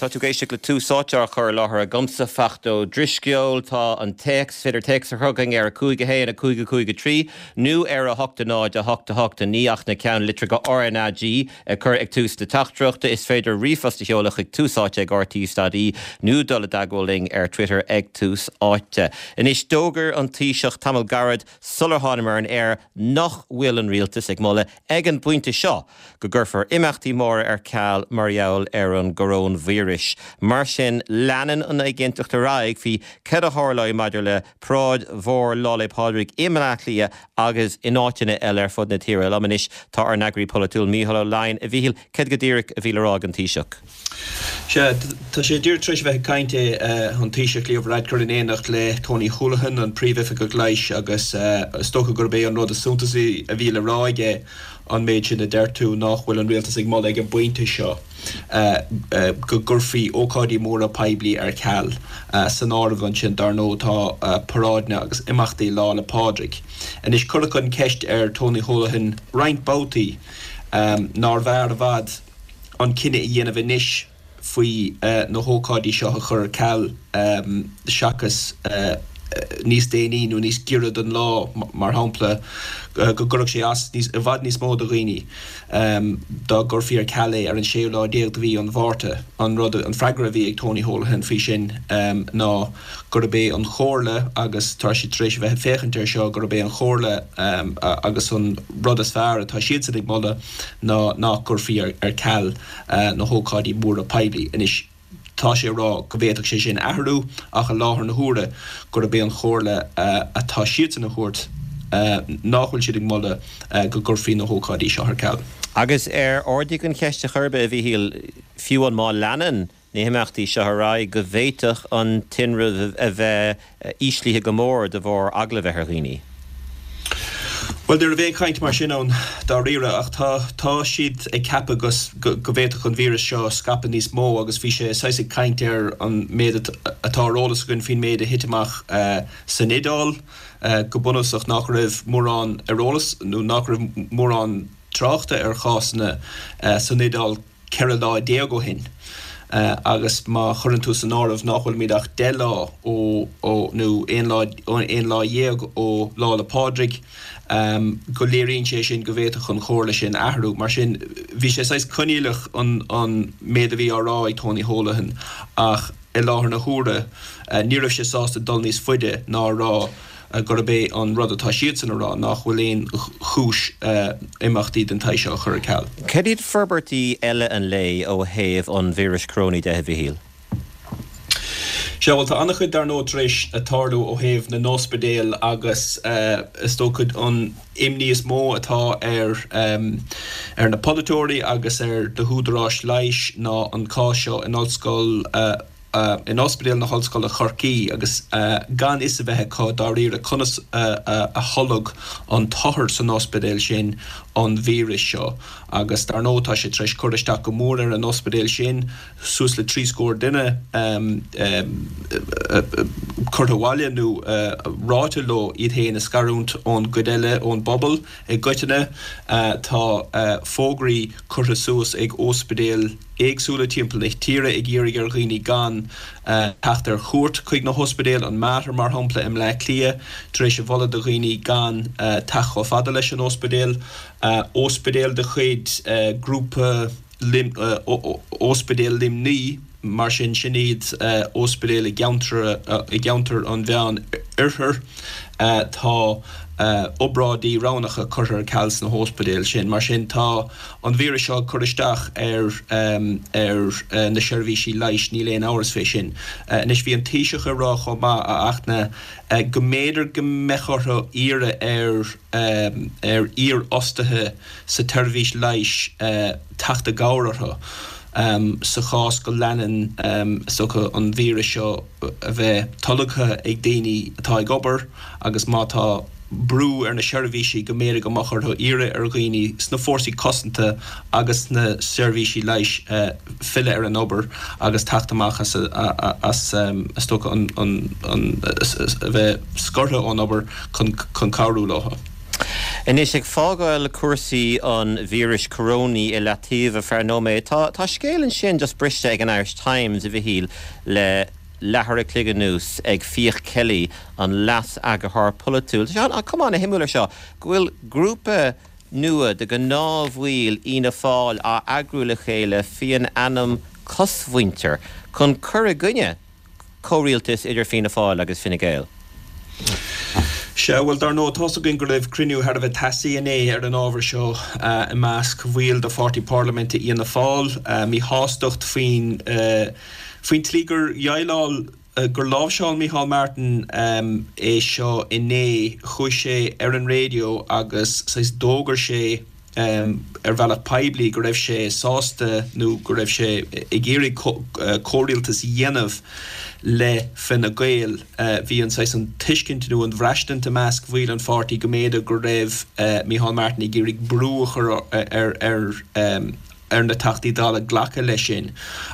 Tá tú ag éisteacht le Tús Áite á chur i láthair agamsa, Fachtna Ó Drisceoil. Tá an téacs, is féidir téacs a chur chugainn ar 5 1 5 5 3 nó ar 8 0 8 8 9 ach na ceannlitreacha RnaG a chur ag tús na teachtaireachta. Is féidir ríomhphost a sheoladh chuig túsáite ag rte.ie nó dul i dteagmháil linn ar Twitter ag Tús Áite. Anois, d'fhógair an Taoiseach tamall gairid sular thánamar ar an aer nach bhfuil an Rialtas ag moladh ag an bpointe seo go gcuirfear imeachtaí móra ar ceal mar gheall ar an gcoróinvíreas. Mar sin, leanann an éiginnteacht ar aghaidh faoi céard a tharlóidh maidir le paráid mhór Lá 'le Pádraig i mBleá Cliath agus in áiteanna eile ar fud na tíre. Liom anois tá ár n-eagraí polaitiúil Mícheál Ó Laighin. A Mhíchíl, céard go díreach a bhí le rá ag an Taoiseach? Sea, tá sé díreach tar éis a bheith ag caint, an Taoiseach Leo Varadkar in éineacht le Tony Holohan, an Príomhoifigeach Leighis agus is dócha gurb é an rud is suntasaí a bhí le rá aige an méid sin a deir tú, nách bhfuil an Rialtas ag moladh ag an bpointe seo go gcuirfí ócáidí móra poiblí ar ceal. San áireamh ansin, dar ndóigh, tá paráideanna agus imeachtaí Lá 'le Pádraig. Anois, cuireadh an cheist ar Tony Holohan roinnt babhtaí nárbh fhearr i bhfad an cinneadh a dhéanamh anois faoi na hócáidí seo a chur ar ceal seachas níos déanaí nó níos giorra don lá, mar shampla, go gcuirfeadh sé as i bhfad níos mó do dhaoine dá gcuirfí ar ceal é ar an séú lá déag de mhí an Mhárta. An rud, an freagra a bhí ag Tony Holohan faoi sin ná gurb é an chomhairle, agus tá siad tar éis a bheith ag féachaint air seo, gurb é an chomhairle agus an rud is fearr atá siadsan ag moladh ná nach gcuirfí ar ceal na hócáidí móra poiblí. Anois, tá sé ag rá go bhféadfadh sé sin athrú ach i láthair na huaire gurb é an chomhairle atá siadsan a thabhairt nach bhfuil siad ag moladh go gcuirfí na hócáidí seo ar ceal. Agus ar ardaíodh an cheist ar chor ar bith, a Mhíchíl, fiú amháin má leanann na himeachtaí seo ar aghaidh, go bhféadfadh an tinreamh a bheith íslithe go mór de bharr eagla a bheith ar dhaoine. Bhuel, ní raibh aon chaint mar sin ann dáiríre, ach tá, tá siad ag ceapadh go, go bhféadfadh an víreas seo scaipeadh níos mó agus bhí sé saghas ag caint ar an méid atá ar eolas againn faoin méid a thit amach san Iodáil, go bunúsach nach raibh mórán ar eolas nó nach raibh mórán tráchta ar chásanna san Iodáil. 14 lá ó shin agus má chuireann tú san áireamh nach bhfuilimid ach 10 lá ó, ó, nó aon lá, aon lá dhéag ó Lá 'le Pádraig, go léiríonn sé sin go bhféadfadh an chomhairle sin athrú. Mar sin, bhí sé saghas coinníollach an, an méid a bhí á rá ag Tony Holohan ach i láthair na huaire ní raibh sé sásta dul níos faide ná a rá gurb é an rud atá siadsan a rá nach bhfuil aon chúis imeachtaí den tsaghas seo a chur ar ceal. Cad iad forbairtí eile an lae ó thaobh an víris corónaigh de, a Mhichíl? Sea, bhuel tá an-chuid dar ndóigh tar éis tarlú ó thaobh na n-ospidéal agus is dócha an imní is mó atá ar ar na polaiteoirí agus ar na húdaráis leighis ná an cás seo in ollscoil in Ospidéal na hOllscoile Chorcaí agus gan fhios a bheith acu dáiríre conas a tholg an t-othar san ospidéal sin an víreas seo. Agus dar ndóigh tá sé tar éis cur isteach go mór ar an ospidéal sin, suas le 30 scór duine curtha abhaile nó ráite leo iad féin a scarúint ón gcuid eile, ón bpobal i gcoitinne. Tá fógraí curtha suas ag ospidéil. éagsúla timpeall na tíre ag iarraidh ar dhaoine gan teacht ar chuairt chuig na hospidéil, an Mater mar shampla i mBleá Cliath, tar éis a mholadh do dhaoine gan teacht chomh fada leis an ospidéal. Ospidéal de chuid Grúpa Ospidéal Luimnigh, mar sin, sin iad ospidéil i gceantar i gceantar an Mheán Oirthir. Tá obráidí roghnacha curtha ar ceal sna hóspidéil sin. Mar sin, tá an víreas seo ag cur isteach ar ar na seirbhísí leighis, níl aon amhras fé sin. Anois, bhí an Taoiseach ag rá chomh maith, a Fhachtna, go mb'fhéidir go mbeadh orthu iarraidh ar ar iarfhostaithe sa tseirbhís leighis teacht i gcabhair orthu sa chás go leanann, is dócha, an víreas seo a bheith tolgtha ag daoine atá ag obair agus má tá brú ar na seirbhísí go mb'fhéidir go mbeadh orthu iarraidh ar dhaoine sna fórsaí cosanta agus sna seirbhísí leighis filleadh ar an obair agus teacht amach as, as is dócha, an, an, a bheith scortha ón obair chun, chun cabhrú leo. Anois, ag fágáil cúrsaí an víris corónaí i leataobh ar feadh nóiméad, tá tá scéal ansin just briste ag an Irish Times, a Mhichíl, le leathuair a chloig anuas ag Fiach Kelly, an leas-eagarthóir polaitiúil. Tá sé an cuma an-shuimiúil ar seo go bhfuil grúpa nua de ghnáthbhaill Fhianna Fáil á eagrú le chéile faoin ainm Cosmhuintir chun cur i gcoinne comhrialtas idir Fianna Fáil agus Fine Gael. Sea, bhuel, dar ndóigh, tá's againn go raibh cruinniú thar a bheith teasaí inné ar an ábhar seo i measc bhaill de Pháirtí Parlaiminte Fhianna Fáil, míshástacht faoin faoin tslí gur dhéileáil, gur láimhseáil Micheál Martin é seo inné. Chuaigh sé ar an raidió agus saghas d'fhógair sé, ar bhealach poiblí go raibh sé sásta nó go raibh sé ag iarraidh comhrialtas a dhéanamh le Fine Gael. Bhí an saghas an tuiscint nó an bhraistint i measc bhaill an pháirtí go mb'fhéidir go raibh Micheál Martin ag iarraidh brú a chur ar ar na Teachtaí Dála glacadh leis sin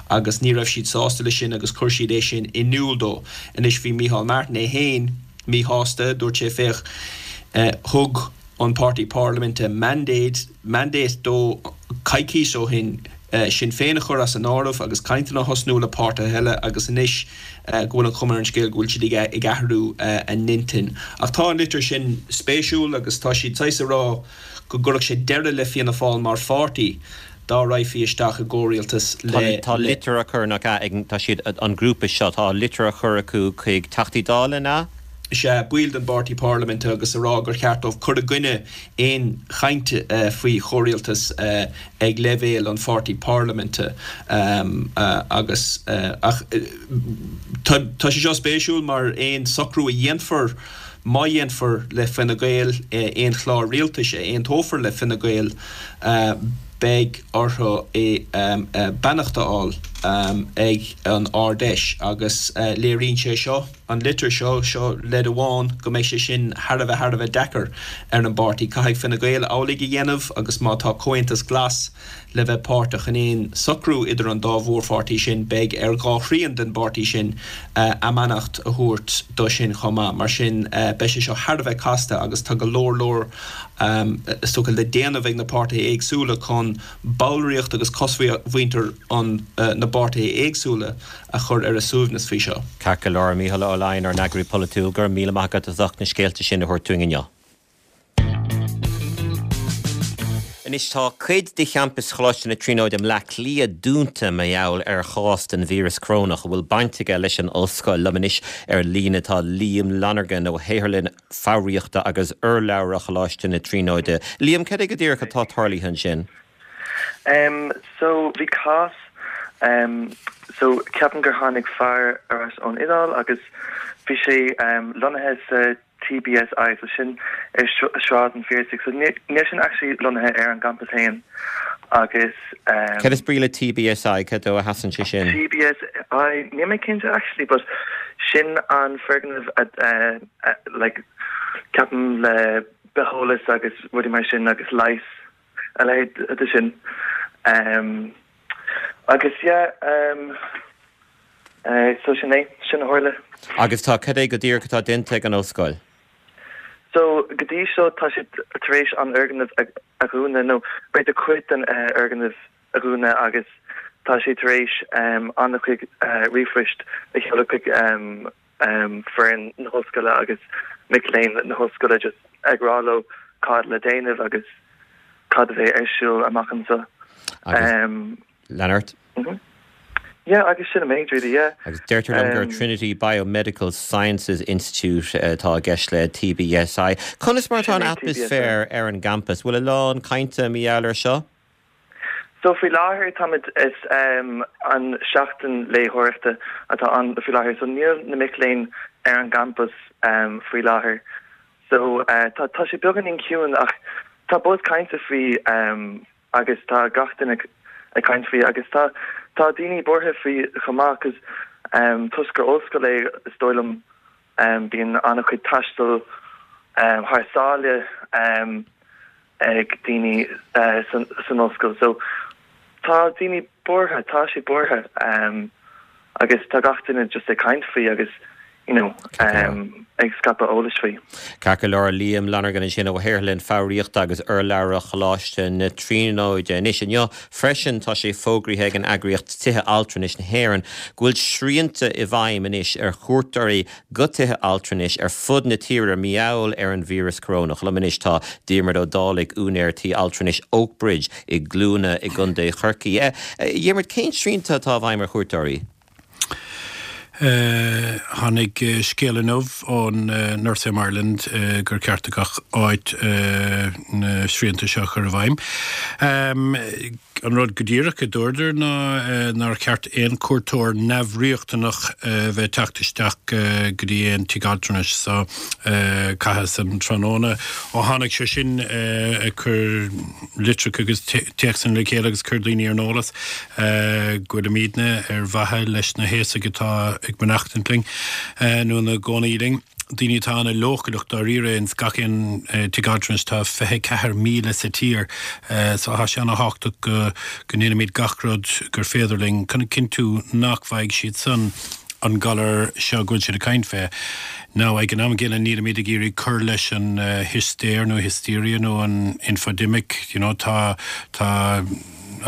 agus ní raibh siad sásta leis sin agus chuir siad é sin in iúl dó. Anois bhí Micheál Martin é féin míshásta, dúirt sé féach, thug an páirtí parlaiminte mandate, mandate dó coicís ó shin Sinn Féin a chur as an áireamh agus cainteanna a thosnú le páirtithe eile agus anois go bhfuil an chuma ar an scéal go bhfuil siad ag athrú a n-intinn. Ach tá an litir sin spéisiúil agus tá siad saghas ag rá go gcuirfeadh sé deireadh le Fianna Fáil mar pháirtí dá raghfaí isteach i gcomhrialtas le. Tá litir á cur, nach ea, ag, tá siad, an grúpa seo, tá litir á chur acu chuig Teachtaí Dála, an ea? Sea, baill den bpáirtí parlaiminte agus a rá gur cheart dóibh cur i gcoinne aon chaint faoi chomhrialtas ag leibhéal an pháirtí parlaiminte agus ach tá sé seo spéisiúil mar aon socrú a dhéanfar, má dhéanfar le Fine Gael, aon chlár rialtais a aontófar le Fine Gael, beidh orthu beannacht a fháil ag an Ard-Fheis agus léiríonn sé seo. an litir seo, seo leid amháin go mbeidh sé sin thar a bheith, thar a bheith deacair ar an bpáirtí. Caithfidh Fine Gael amhlaidh a dhéanamh agus má tá Comhaontas Glas le bheith páirteach in aon socrú idir an dá mhórpháirtí sin, beidh ar dhá thrian den bpáirtí sin a mbeannacht a thabhairt do sin chomh maith. Mar sin, beidh sé seo thar a bheith casta agus tá go leor, leor, is dócha, le déanamh ag na páirtithe éagsúla chun ballraíocht agus cosmhuintir an na bpáirtithe éagsúla a chur ar a suaimhneas faoi seo. Ceart go leor, a Mhícheál Ó Laighin, ár n-eagraí polaitiúil, go raibh míle maith agat as ucht na scéalta sin a thabhairt dúinn inniu. Anois tá cuid de champas Choláiste na Tríonóide i mBleá Cliath dúnta mar gheall ar chás den víreas corónach a bhfuil baint aige leis an ollscoil. Liom anois ar an líne tá Liam Lonergan ó Shaotharlann Foghraíochta agus Urlabhra Choláiste na Tríonóide. Liam, cad é go díreach atá tarlaithe ansin? Em so bhí cás em so ceapaim gur tháinig fear ar ais ón Iodáil agus bhí sé em lonnaithe sa TBSI so sin ar Sráid an Phiarsaigh so níl sin actually lonnaithe ar an gcampas féin agus em. Cad is brí le TBSI? Cad dó a sheasann sé sin? TBSI níl mé cinnte actually but sin an foirgneamh a eh like ceapaim le bitheolas agus rudaí mar sin agus leigheas. a leithéid de sin. Agus yeah, so sin é, sin a tharla. Agus tá, cad é go díreach atá déanta ag an ollscoil? So go dtí seo tá siad tar éis an fhoirgneamh a dhúnadh, nó b'fhéidir cuid den fhoirgneamh a dhúnadh agus tá siad tar éis an-chuid ríomhphoist a sheoladh chuig foireann na hollscoile agus mic léinn na hollscoile just ag rá leo cad le déanamh agus cad a bheidh ar siúl amach anseo. Agus lean ort. Yeah, agus sin an méid really, yeah. Agus deirtear liom gur Trinity Biomedical Sciences Institute atá i gceist le TBSI. Conas mar atá an atmaisféar ar an gcampas? Bhfuil a lán cainte mar gheall air seo? So faoi láthair táimid, is an seachtain léitheoireachta atá ann faoi láthair so níl na mic léinn ar an gcampas faoi láthair. So tá tá sé beagáinín ciúin ach tá buzz cainte faoi agus tá gach duine ag caint faoi agus tá tá daoine buartha faoi chomh maith cos toisc gur ollscoil é is dóigh liom bíonn an-chuid taistil thar sáile ag daoine san ollscoil. So tá daoine buartha, tá siad buartha agus tá gach duine just ag caint faoi agus. you know, ag scaipeadh eolais faoi. Ceart go leor, Liam Lonergan ansin ó Shaotharlann Foghraíochta agus Urlabhra Choláiste na Tríonóide. Anois, inniu freisin tá sé fógraithe ag an eagraíocht Tithe Altranais na hÉireann go bhfuil srianta i bhfeidhm anois ar chuairteoirí go tithe altranais ar fud na tíre mar gheall ar an víreas corónach. Liom anois tá Diarmuid Ó Dálaigh, úinéir tí altranais Oakbridge i gCluana i gContae Chorcaí. A Dhiarmuid, cén srianta atá i bhfeidhm ar chuairteoirí? Tháinig scéal inniu ón Nursing Home Ireland gur ceart do gach áit na srianta seo a chur i bhfeidhm. An rud go díreach a dúradar ná nár cheart aon chuairteoir neamhriachtanach bheith ag teacht isteach go dtí aon tigh altranais. So caitheas an tráthnóna ó tháinig sé sin ag cur litreacha agus téacsanna le chéile agus cur daoine ar an eolas go bhfuilimidne ar mhaithe leis na haosaigh atá ag mainneachtaint linn nó ina gcónaí linn. daoine atá ana-leochaileach dáiríre ins gach aon tigh altranais, tá 24,000 sa tír so tá sé ana-thábhachtach go go ndéanaimid gach rud gur féidir linn chun a chinntiú nach bhfaighidh siad san an galar seo go bhfuil siad ag caint fé. Now ag an am gcéanna nílimid ag iarraidh cur leis an histéir nó hysteria nó an infodemic, you know tá tá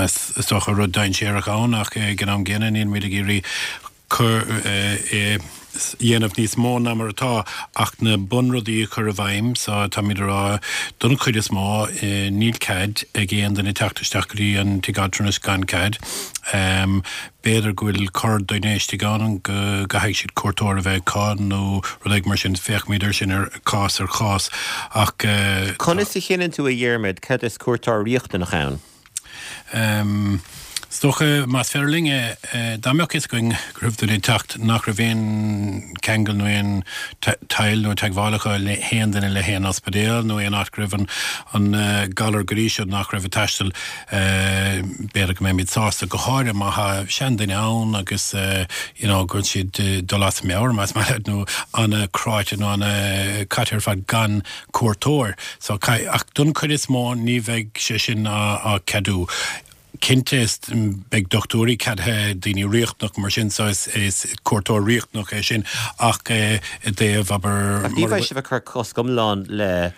is dócha rud dainséarach ann ach ag an am gcéanna nílimid ag iarraidh cur é dhéanamh níos mó ná mar atá ach na bunrudaí a chur i bhfeidhm so táimid a rá don chuid is mó níl cead ag aon duine teacht isteach go dtí an tigh altranais gan cead. B'fhéidir go bhfuil corr duine istigh ann go gcaithfidh siad cuairteoir a bheith acu nó rud éigin mar sin, féachfaimid ar sin ar chás ar chás ach tá. Conas a chinneann tú a Dhiarmaid cad is cuairteoir riachtanach ann? Is dócha, más féidir linn é, dá mbeadh fhios againn go raibh duine ag teacht nach raibh aon cheangal nó aon taill nó teagmháil acu le haon duine le haon ospidéal nó aon áit go raibh an galar go dtí seo nach raibh ag taisteal, b'fhéidir go mbeimid sásta, go háirithe má thá seanduine ann agus you know go bhfuil siad ag dul as a meabhair, más maith leat, nó ana-chráite nó ana-chaite ar fad gan cuairteoir. So, ach don chuid is mó ní bheidh sé sin á ceadú. Cinnte is beidh dochtúirí ceadaithe, daoine riachtanach mar sin, so is is cuairteoir riachtanach é sin ach i dtaobh, abair, Ach ní bheidh sibh ag cur cosc iomlán le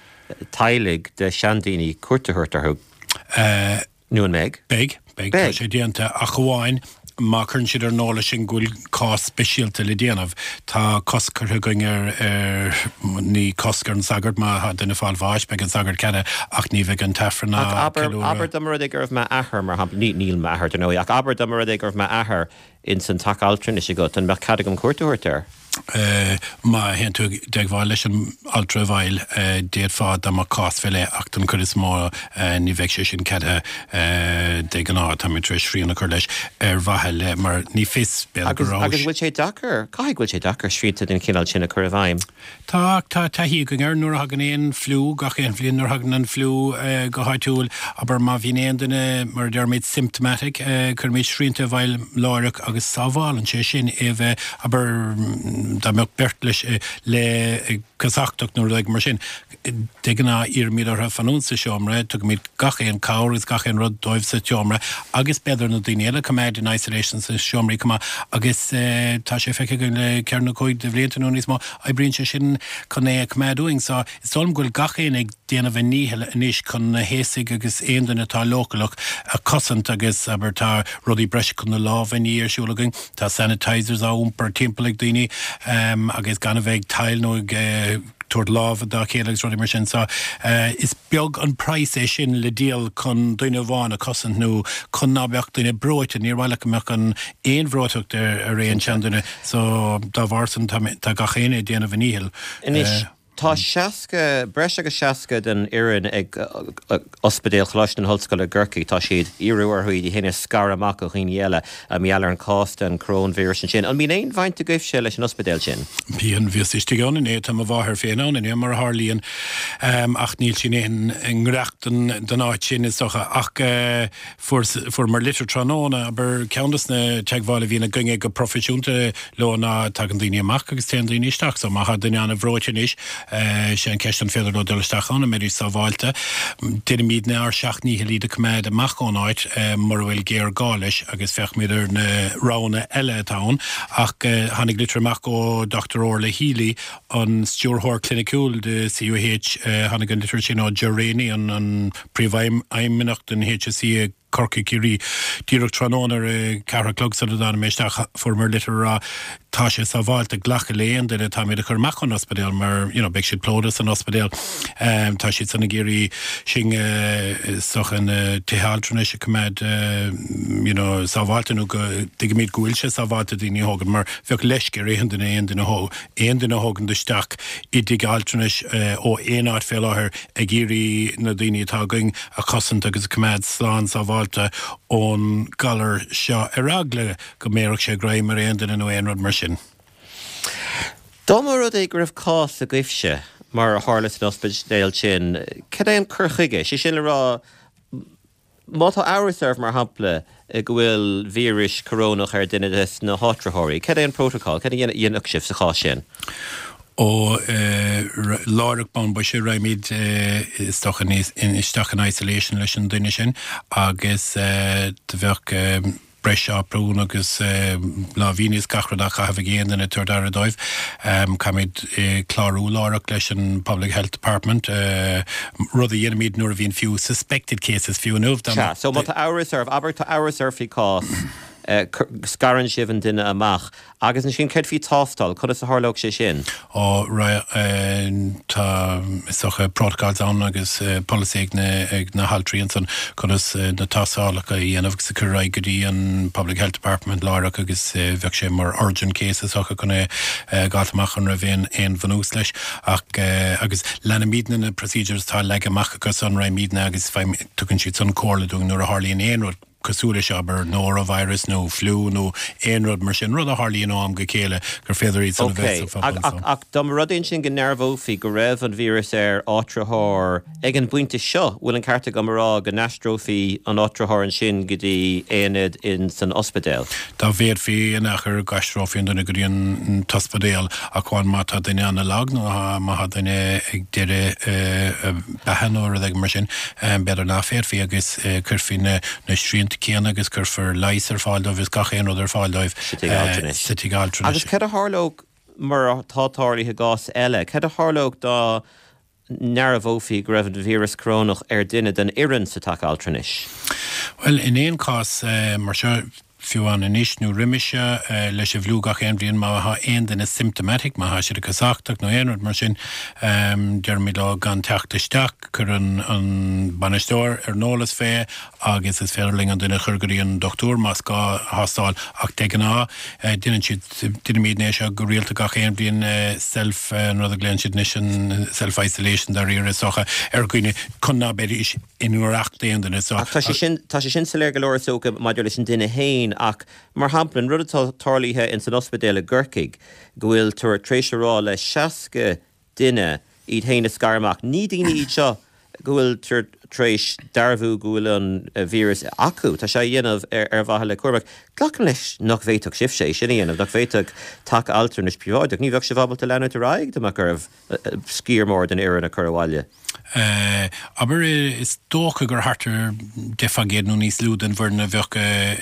teaghlaigh de sheandaoine cuairt a thabhairt orthu? Nó an mbeidh? Beidh, beidh, tá sé déanta, ach amháin má chuireann siad ar an eolas sinn go bhfuil cás speisialta le déanamh. Tá cosc curtha againn ar, ar, ní cosc ar an sagart, má tá duine ag fáil bháis, beidh an sagart ceadaithe, ach ní bheidh an t-aifreann á Ach abair, ceiliúradh. abair dá mba rud é go raibh m'athair, mar shampla, ní, níl m'athair, dar ndóigh, ach abair dá mba rud é go raibh m'athair ins an teach altranais agat, an mbeadh cead agam cuairt a thabhairt air? Má théann tú i dteagmháil leis an altra bhaile, d'fhéadfá dá mbeadh cás fé leith ach don chuid is mó ní bheidh sé sin ceadaithe de ghnáth. Táimid tar éis srian a chur leis ar mhaithe le, mar ní fios, b'fhéidir go raibh. Agus an bhfuil sé deacair, caithfidh go bhfuil sé deacair srianta den chineál sin a chur i bhfeidhm? Tá, ach tá taithí againn air. Nuair a thagann aon fliú, gach aon bhliain nuair a thagann an fliú go háitiúil, abair má bhíonn aon duine, mar a deirimid, symptomatic, cuirimid srianta i bhfeidhm láithreach agus sábhálann sé sin é a bheith, abair, dá mbeadh beirt leis le casachtach nó rud éigin mar sin. De ghnáth iarraimid orthu fanúint sa seomra, tugaimid gach aon cabhair agus gach aon rud dóibh sa tseomra agus b'fhéidir na daoine eile a choimeád in isolation sna seomraí chomh maith agus tá sé feicthe againn le ceithre nó cúig de bhlianta nó níos mó, oibríonn sé sin chun é a choimeád uainn. So is dóigh liom go bhfuil gach éinne ag déanamh a ndícheall anois chun na haosaigh agus aon duine atá leochaileach a chosaint agus abair tá rudaí breise chun na lámha a ní ar siúl againn, tá sanitizers á iompar timpeall ag daoine agus gan a bheith ag tadhall nó ag tabhairt lámha dá chéile agus rudaí mar sin. So, is beag an praghas é sin le díol chun duine amháin a chosaint nó chun ná beadh duine breoite. Níor mhaith leat go mbeadh an aon bhreoiteacht ar aon seanduine. So, dá bharr san, tá gach éinne ag déanamh a ndíchill. Anois, tá 60, breis agus 60 den fhoireann ag Ospidéal Choláiste na hOllscoile i gCorcaigh, tá siad, iarradh orthu iad féin a scaradh amach ó dhaoine eile mar gheall ar an cás den choróinvíreas ansin. An mbíonn aon bhaint agaibhse leis an ospidéal sin? Bíonn. Bhíos istigh ann inné. Tá mo mháthair féin ann inniu, mar a tharlaíonn, ach níl sí in aon ngiorracht don áit sin, is dócha. Ach fuair, fuaireamar litir tráthnóna, abair, ceann des na teagmháil a bhíonn againne go proifisiúnta leo ná tagann daoine amach agus téann daoine isteach. So má tá duine an-bhreoite anois. Sé an ceist an féidir leo dul isteach ann, an mbeidís sábháilte. Déanaimidne ár seacht ndícheall iad a coimeád amach ón áit mura bhfuil géarghá leis agus féachfaimid ar na roghanna eile atá ann. Ach tháinig litir amach ó Dr Orla Healy, an Stiúrthóir Cliniciúil de CUH, tháinig an litir sin ó Ger Rainey, an Príomhfheidhmeannach den HSE i Corcaigh, Ciarraí. Díreach tráthnóna ar a ceathair a chlog sula dtáinig mé isteach fuaireamar litir a rá tá sé sábháilte glacadh le aon duine atáimid a chur amach ón ospidéal mar you know beidh siad plódaithe san ospidéal. Tá siad san ag iarraidh sinn is dócha na tithe altranais a coimeád you know sábháilte nó go dtuigimid go bhfuil sé sábháilte daoine a thógaint mar bheadh leisce ar aon duine aon duine aon duine a thógaint isteach i dtigh altranais ó aon áit fé láthair ag iarraidh na daoine atá againn a chosaint agus a choimeád slán sábháilte ón galar seo ar eagla go mbéarfadh sé greim ar aon duine nó aon rud mar sin. Dá mba rud é go raibh cás agaibhse, mar a tharla san ospidéal sin, cad é an cur chuige? Sé sin le rá, Má tá amhras oraibh, mar shampla, go bhfuil víreas corónach ar duine de na háitritheoirí, cad é an prótacal? Cad a dhéanfadh sibh sa chás sin? Ó, láithreach bonn boise, raghaimid, is dócha, isteach in isolation leis an duine sin agus do bheadh. breis aprún agus láimhíní is gach rud á chaitheamh ag aon duine ag tabhairt aire dóibh. Caithfimid clárú láithreach leis an Public Health Department, rud a dhéanaimid nuair a bhíonn fiú suspected cases fiú inniu. Sea, so má tá amhras oraibh, abair tá amhras oraibh faoi chás, scarann sibh an duine amach. Agus ansin céard faoi tástáil, conas a tharlódh sé sin? Ó, tá, is dócha, protocols ann agus polasaí ag na, ag na haltraí ansan conas na tástálacha a dhéanamh agus a chur ar aghaidh go dtí an Public Health Department láithreach agus bheadh sé mar urgent case is dócha chun é a dh'fháilt amach an raibh aon, aon bhunús leis. Ach, agus leanaimidne na procedures atá leagtha amach acu san, raghaimidne agus tugann siad san comhairle dúinn nuair a tharlaíonn aon rud. cosúil leis seo, abair, norovirus nó fliú nó aon rud mar sin, rud a tharlaíonn ó am go chéile, gur féidir iad san a bheith sa phobal. Ok, ach dá mba rud é ansin go ndearbhófaí go raibh an víreas ar áitritheoir ag an bpointe seo, bhfuil an ceart agam a rá go n-aistreofaí an áitritheoir ansin go dtí aonad in san ospidéal? Dá bhféadfaí in aon chor d'aistreofaí an duine go dtí an t-ospidéal ach amháin má tá duine ana-lag nó má tá duine ag deireadh a beatha nó rud éigin mar sin, b'fhéidir nach bhféadfaí agus cuirfí na srianta céanna agus cuirfear leigheas ar fáil dóibh is gach aon rud ar fáil dóibh sa tigh altranais. Agus cad a tharlódh, mar atá tarlaithe i gcás eile, cad a tharlódh dá ndearbhófaí go raibh an víreas corónach ar duine den fhoireann sa teach altranais? Bhuel, in aon chás mar seo, fiú amháin anois nó roimhe seo, leis an bhfliú gach aon bhliain, má thá aon duine symptomatic, má thá siad ag casachtach nó aon rud mar sin, deirimid leo gan teacht isteach, cuireann an bainisteoir ar an eolas fé agus is féidir linn an duine a chur go dtí an dochtúir más gá thástáil ach de ghnáth déanann siad, déanaimidne é seo go rialta gach aon bhliain, self, an rud a ghlaonn siad anois an self isolation dáiríre is dócha, ar dhaoine chun ná beidís i ngiorracht aon duine so. Ach tá sé sin, tá sé sin soiléir go leor is dócha maidir leis an duine fhéin ach mar shampla an rud atá tarlaithe ins an ospidéal i gCorcaigh go bhfuil tar éis a rá le 60 duine iad fhéin a scaradh amach, ní daoine iad seo go bhfuil tar éis dearbhú go bhfuil an víreas acu, tá sé á dhéanamh ar mhaithe le cúram. Glacaim leis nach bhféadfadh sibhse é sin a dhéanamh, nach bhféadfadh teach altranais príobháideach, ní bheadh sibh ábalta leanúint ar aghaidh dá mbeadh oraibh sciar mór den fhoireann a chur abhaile. Abair, is dócha gur thart ar 10% nó níos lú den bhfoireann a bheadh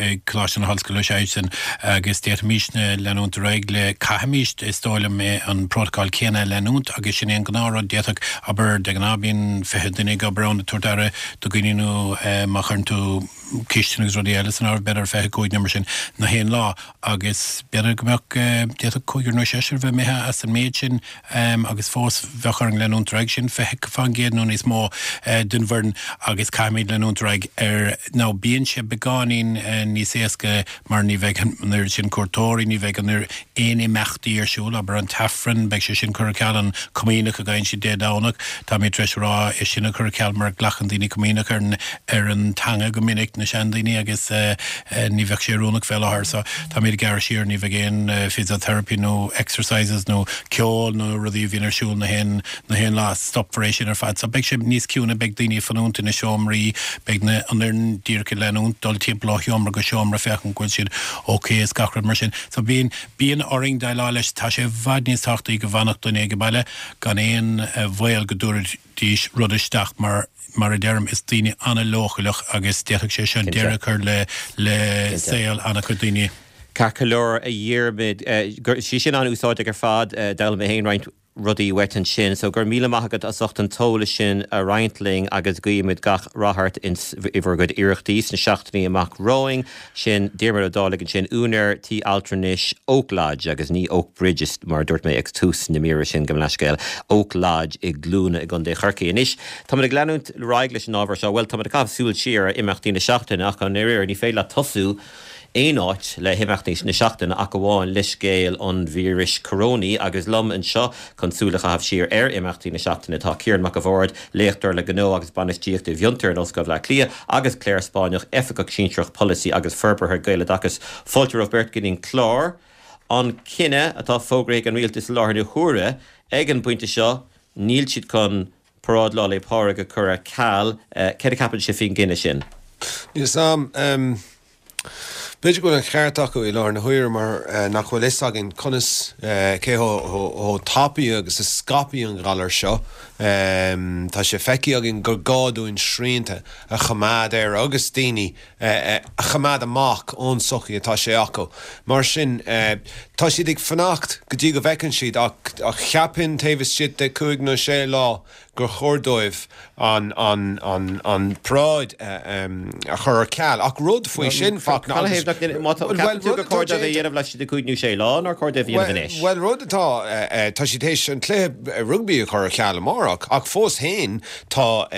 ag Coláiste na hOllscoile, sea sin, agus d'fhéadfaimísne leanúint ar aghaidh le, caithfimíst, is dóigh liom, an prótacál céanna a leanúint agus sin é an gnáthrud. D'fhéadfadh, abair, de ghnáth bíonn 20 duine ag obair ann ag tabhairt aire do dhaoine nó má chuireann tú cistin agus rudaí eile san áireamh, b'fhéidir 25 nó mar sin na haon lá agus b'fhéidir go mbeadh, d'fhéadfadh cúigear nó seisear bheith imithe as an méid sin. agus fós bheadh orainn leanúint ar aghaidh, sin 20% nó níos mó den bhfoireann agus caithfimid leanúint ar aghaidh ar now bíonn sé beagáinín níos éasca mar ní bheidh an oiread sin cuairteoirí, ní bheidh an oiread aon imeachtaí ar siúl, abair an tAifreann, beidh sé sin curtha ar ceal, an Comaoineach a gheibheann siad Dé Domhnach, táimid tar éis a rá é sin a chur ar ceal mar glacann daoine Comaoineach ar an ar an teanga go minic. na seandaoine agus ní bheadh sé oiriúnach fé láthair. So táimid ag gearradh siar, ní bheidh aon physiotherapy nó exercises nó ceol nó rudaí a bhíonn ar siúl na haon na haon lá, stopfar é sin ar fad. So beidh sé níos ciúine, beidh daoine ag fanúint ina seomraí, beidh na an fhoireann díreach ag leanúint dul timpeall ó sheomra go seomra féachaint go bhfuil siad ok is gach rud mar sin. So bíonn bíonn orainn déileáil leis, tá sé i bhfad níos tábhachtaí go bhfanfadh duine ag baile gan aon bhaol go dtabharfaidís rud isteach mar mar a deirim is daoine an-leochaileach agus d'fhéadfadh sé seo deireadh a chur le le saol an-chuid daoine. Ceart go leor, a Dhiarmaid, sé sin an-úsáideach ar fad, d'fhoghlaim mé féin roinnt rudaí uait ansin. So go raibh míle maith agat as ucht an t-eolas sin a roinnt linn agus guímid gach rath ort ins i bhur gcuid iarrachtaí sna seachtainí amach romhainn. Sin Diarmuid Ó Dálaigh ansin, úinéir tí altranais Oak Lodge agus ní Oak Bridge mar a dúirt mé ag tús na míre sin, gabh mo leithscéal, Oak Lodge i gCluana i gContae Chorcaí. Anois, táimid ag leanúint ar aghaidh leis an ábhar seo, bhuel, táimid ag caitheamh súil siar ar imeachtaí na seachtaine ach i ndáiríre ní féidir leat tosú aon áit le himeachtaí na seachtaine ach amháin le scéal an víris corónaí agus liom anseo chun súil a chaitheamh siar ar imeachtaí na seachtaine tá Ciarán Mac a' Bhaird, Léachtóir le Gnó agus Bainistíocht i bhFiontar in Ollscoil Bhaile Átha Cliath agus Claire Spáinneach, Oifigeach Sinsearach Polasaí agus Forbartha Gaeloideachas. Fáilte romhaibh beirt go dtí an clár. An cinneadh atá fógraithe ag an Rialtas i láthair na huaire, ag an bpointe seo, níl siad chun Paráid Lá 'le Pádraig a chur ar ceal. Céard a cheapann sibh faoin gcinneadh sin? Níl 'fhios a'm. B'fhéidir go bhfuil an cheart acu i láthair na huaire mar nach bhfuil fhios againn conas, cé chomh tapaidh agus a scaipfidh an galar seo. Tá sé feicthe againn gur gá dúinn srianta a choimeád air agus daoine a choimeád amach ón tsochaí atá sé acu. Mar sin, tá siad ag fanacht go dtí go bhfeiceann siad ach cheapfainn taobh istigh de chúig nó sé lá gur chóir dóibh an an paráid a chur ar ceal. Ach rud faoi sin, Fachtna, agus. Má tá, ceapann tú gur chóir dóibh é a dhéanamh laistigh de chúig nó sé lá, nár chóir dóibh a dhéanamh anois? Bhuel, rud atá, tá siad théis an cluiche rugbaí a chur ar ceal amárach, ach fós féin tá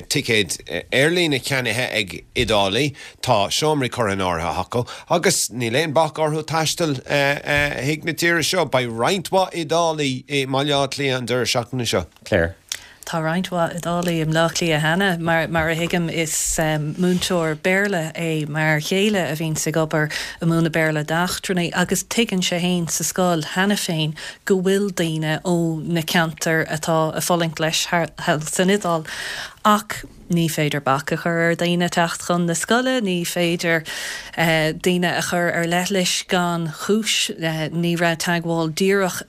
ticéid aerlíne ceannaithe ag Iodálaigh, tá seomraí curtha in áirithe acu agus níl aon bac orthu taisteal chuig na tíre seo. Beidh roinnt mhaith Iodálaigh i mBaile Átha Cliath an deireadh seachtaine seo. Claire. Tá roinnt mhaith Iodálaigh i mBleá Cliath cheana. Mar a thuigim, is múinteoir Béarla é m'fhear chéile a bhíonns ag obair ag múineadh Béarla d'eachtrannaigh agus tuigeann sé fhéin sa scoil cheana féin go bhfuil daoine ó na ceantair atá ag fulaingt leis thall san Iodáil. Ach ní féidir bac a chur ar dhaoine teacht chun na scoile, ní féidir daoine a chur ar leithlis gan chúis. Ní raibh teagmháil díreach,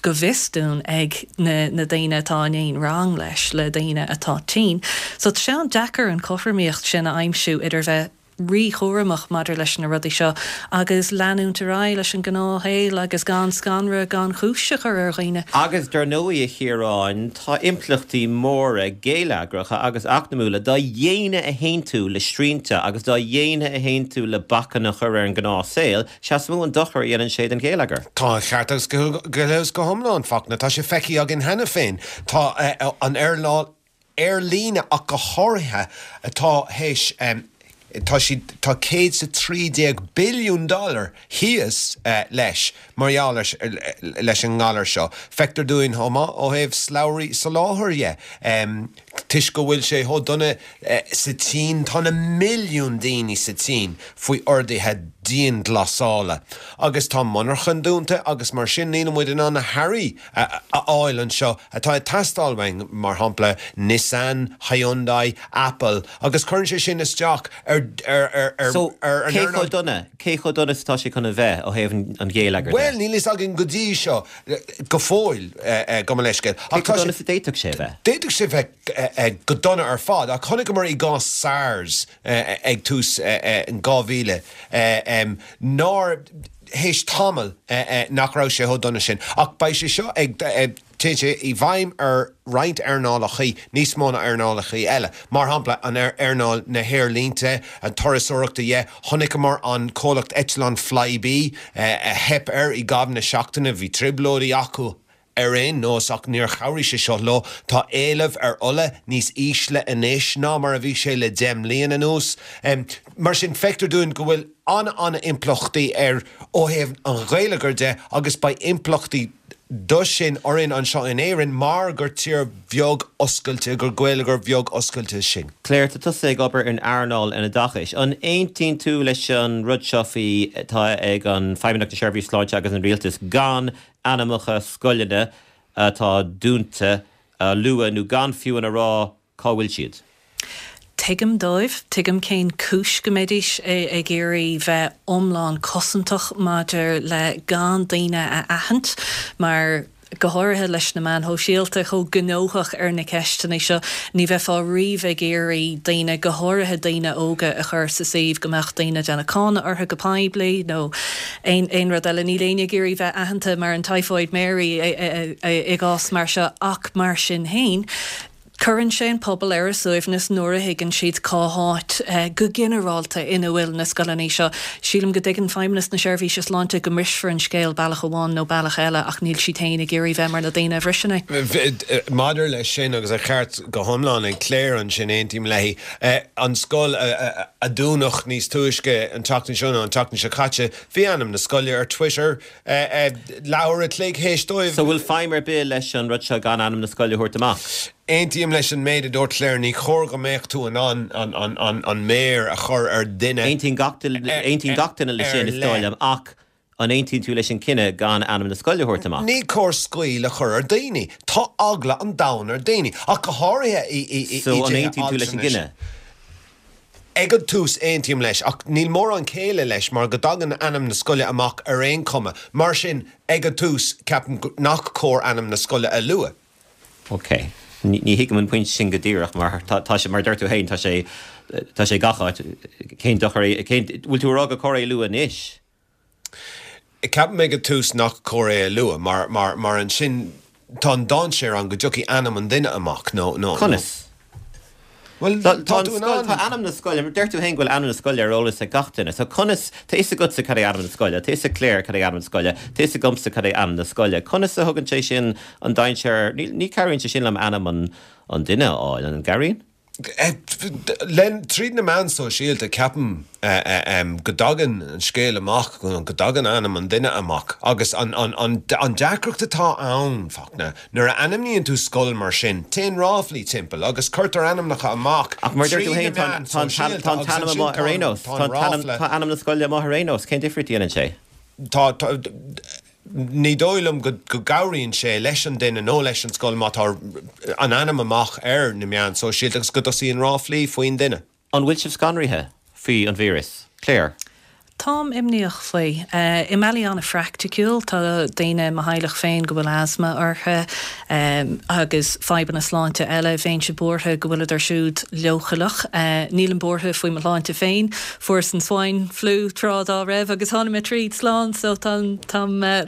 go bhfios dúinn, ag na daoine atá in aon rang leis le daoine atá tinn. So tá sé an-deacair an chothromaíocht sin a aimsiú idir bheith ríchúramach maidir leis na rudaí seo agus leanúint ar aghaidh leis an ngnáthshaol agus gan scanradh gan chúis a chur ar dhaoine. Agus dar ndóigh, a Chiaráin, tá impleachtaí móra geilleagracha agus eacnamúla dá dhéine a théann tú le srianta agus dá dhéine a théann tú le bacanna a chur ar an ngnáthshaol, sea is mó an dochar a dhéanann sé don gheilleagar. Tá an cheart agat go huile is go hiomlán, Fachtna. Tá sé feicthe againn cheana féin. Tá an earnáil aerlíne ach go háirithe atá théis, tá siad, tá 113 billiún dollar thíos leis mar gheall leis an ngalar seo. Feictear dúinn chomh maith ó thaobh slabhraí soláthair dhe, toisc go bhfuil sé chomh dona sa tSín, tá na milliúin daoine sa tSín faoi orduithe dianghlasála agus tá monarchain dúnta agus mar sin níl muid in ann na hearraí a fháil anseo atá ag teastáil uainn, mar shampla Nissan, Hyundai, Apple, agus cuireann sé sin isteach ar ar So, an cé chomh dona, cé chomh dona is atá sé chun a bheith ó thaobh an gheilleagair de? Bhuel, níl fhios againn go dtí seo, go fóill, gabh mo leithscéal. Cé chomh dona is a d'fhéadfadh sé a bheith? D'fhéadfadh sé bheith go dona ar fad, ach chonaiceamar i gcás SARS ag tús an 2000 nár, théis tamaill nach raibh sé chomh dona sin. Ach beidh sé seo ag, téann sé i bhfeidhm ar roinnt earnálachaí níos mó ná earnálachaí eile. Mar shampla, an earnáil na haerlínte, an turasóireachta dhe. Chonaiceamar an comhlacht eitleán Flybe a theip air i gcaitheamh na seachtaine, bhí trioblóidí acu ar aon nós ach níor chabhraigh sé seo leo. Tá éileamh ar ola níos ísle anois ná mar a bhí sé le 10 mbliana anuas. Mar sin, feictear dúinn go bhfuil an-an-impleachtaí air ó thaobh an gheilleagair de agus beidh impleachtaí. do sin orainn anseo in Éirinn mar gur tír bheag oscailte, gur geilleagar beag oscailte sinn. Claire, tá tusa ag obair in earnáil an oideachais. An aontaíonn tú leis an rud seo faoi atá ag an Feidhmeannacht na Seirbhíse Sláinte agus an Rialtas gan ainmneacha scoileanna atá dúnta a lua nó gan fiú a rá cá bhfuil siad? Tuigim dóibh, tuigim cén cúis go mbeidís ag iarraidh bheith iomlán cosantach maidir le gan daoine a aithint mar, go háirithe leis na meáin shóisialta chomh gnóthach ar na ceisteanna seo, ní bheifeá riamh ag iarraidh daoine, go háirithe daoine óga, a chur sa suíomh go mbeadh daoine ag déanamh cáineadh orthu go poiblí nó aon rud eile. Níl éinne ag iarraidh bheith aitheanta mar an Typhoid Mary i gcás mar seo ach mar sin féin, Cuireann sé an pobal ar a suaimhneas nuair a thuigeann siad cá háit, go ginearálta, ina bhfuil na scoileanna seo. Sílim go dtuigeann Feidhmeannas na Seirbhíse Sláinte go mbrisfear an scéal bealach amháin nó bealach eile ach níl siad féin ag iarraidh bheith mar na daoine a bhriseann é. Maidir leis sin, agus an ceart go hiomlán ag Claire ansin, aontaím léi, an scoil a dúnadh níos túisce an tseachtain seo nó an tseachtain seo caite, bhí ainm na scoile ar Twitter, Leathuair a chloig théis dóibh. So bhfuil feidhm ar bith leis an rud seo gan ainm na scoile a thabhairt amach? Aontaím leis an méid a dúirt Claire, ní chóir go mbeadh tú in ann an méar a chur ar dhuine Aontaíonn gach aontaíonn gach duine leis sin, is dóigh liom, ach an aontaíonn tú leis an cinneadh gan ainm na scoile a thabhairt amach? Ní cóir scaoll a chur ar daoine. Tá eagla an domhain ar daoine, ach go háirithe i i So an dtithe aontaíonn tú leis an altranais. gcinneadh? Ag an tús, aontaím leis, ach níl mórán céille leis mar go dtagann ainm na scoile amach ar aon chuma. Mar sin, ag an tús, ceapaim nach cóir ainm na scoile a lua. Ok. Ní thuigim an pointe sin go díreach mar tá sé, mar a deir tú féin, tá sé, tá sé gach áit. Cén dochar é, cén, bhfuil tú a rá gur cóir é a lua anois? Ceapaim ag an tús nach cóir é a lua mar, mar, mar ansin tá an dainséar ann go dtiocfaidh ainm an duine amach nó, nó, nó. Conas? Bhuel, Tá, tá tá an tú in scoil, ann. tá ainm na scoile, deir tú féin go bhfuil ainm na scoile ar eolas ag gach duine. So conas, tá fhios agatsa cad é ainm na scoile, tá fhios ag Claire cad é ainm na scoile, tá fhios agamsa cad é ainm na scoile. Conas a thugann sé sin an dainséar, ní, ní cabhraíonn sé sin liom ainm an, an duine a fháil, an gcabhraíonn? Tríd na meáin sóisialta, ceapaim go dtagann an scéal amach, go dtagann ainm an duine amach agus an deacracht atá ann, Fachtna, nuair a ainmníonn tú scoil mar sin, téann ráflaí timpeall agus cuirtear ainmneacha amach Ach mar a deir tú trí féin, na meáin tá an sóisialta t-ainm agus ansin amuigh ar aon nós. tá an ráfla. Tá ainm na scoile amuigh ar aon nós, cén difríocht a dhéanann sé? Tá, Ní dóigh liom go gcabhraíonn sé leis an duine nó leis an scoil má tá an ainm amach ar na meáin sóisialta agus go dtosaíonn ráflaí faoin duine. An bhfuil sibh scanraithe faoi an víreas? Claire. Táim imníoch faoi. I mbealaí an-phraiticiúil, tá daoine i mo theaghlach féin go bhfuil asma orthu agus fadhbanna sláinte eile. Bheinnse buartha go bhfuileadar siúd leochaileach. Nílim buartha faoi mo shláinte féin. Fuaireas an swine flu tráth dá raibh agus tháinig mé tríd slán so táim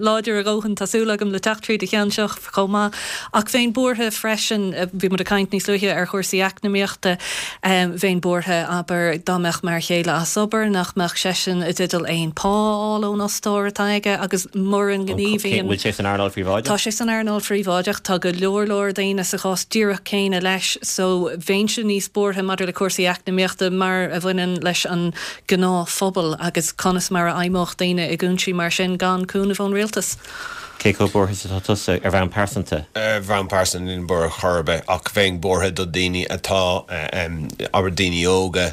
láidir a dhóthain, tá súil agam, le teacht tríd an cheann seo chomh maith. Ach bheinn buartha freisin, bhí muid ag caint níos luaithe ar chúrsaí eacnamaíochta, bheinn buartha, abair, dá mbeadh m'fhear chéile as obair, nach mbeadh seisean i dteideal aon pá a fháil ón fhostóir atá aige agus mura ngníomhaíonn. Bhfuil sé san earnáil phríobháideach? Tá sé san earnáil phríobháideach. Tá go leor leor daoine sa chás díreach céanna leis so bheinnse níos buartha maidir le cúrsaí eacnamaíochta mar a bhaineann leis an gnáthphobal agus conas mar a fheidhmeodh daoine i gcúinsí mar sin gan cúnamh ón rialtas. Cé chomh buartha is atá tusa ar bhonn pearsanta? Ar bhonn pearsanta nílim buartha chor ar bith ach bheinn buartha do daoine atá, abair daoine óga,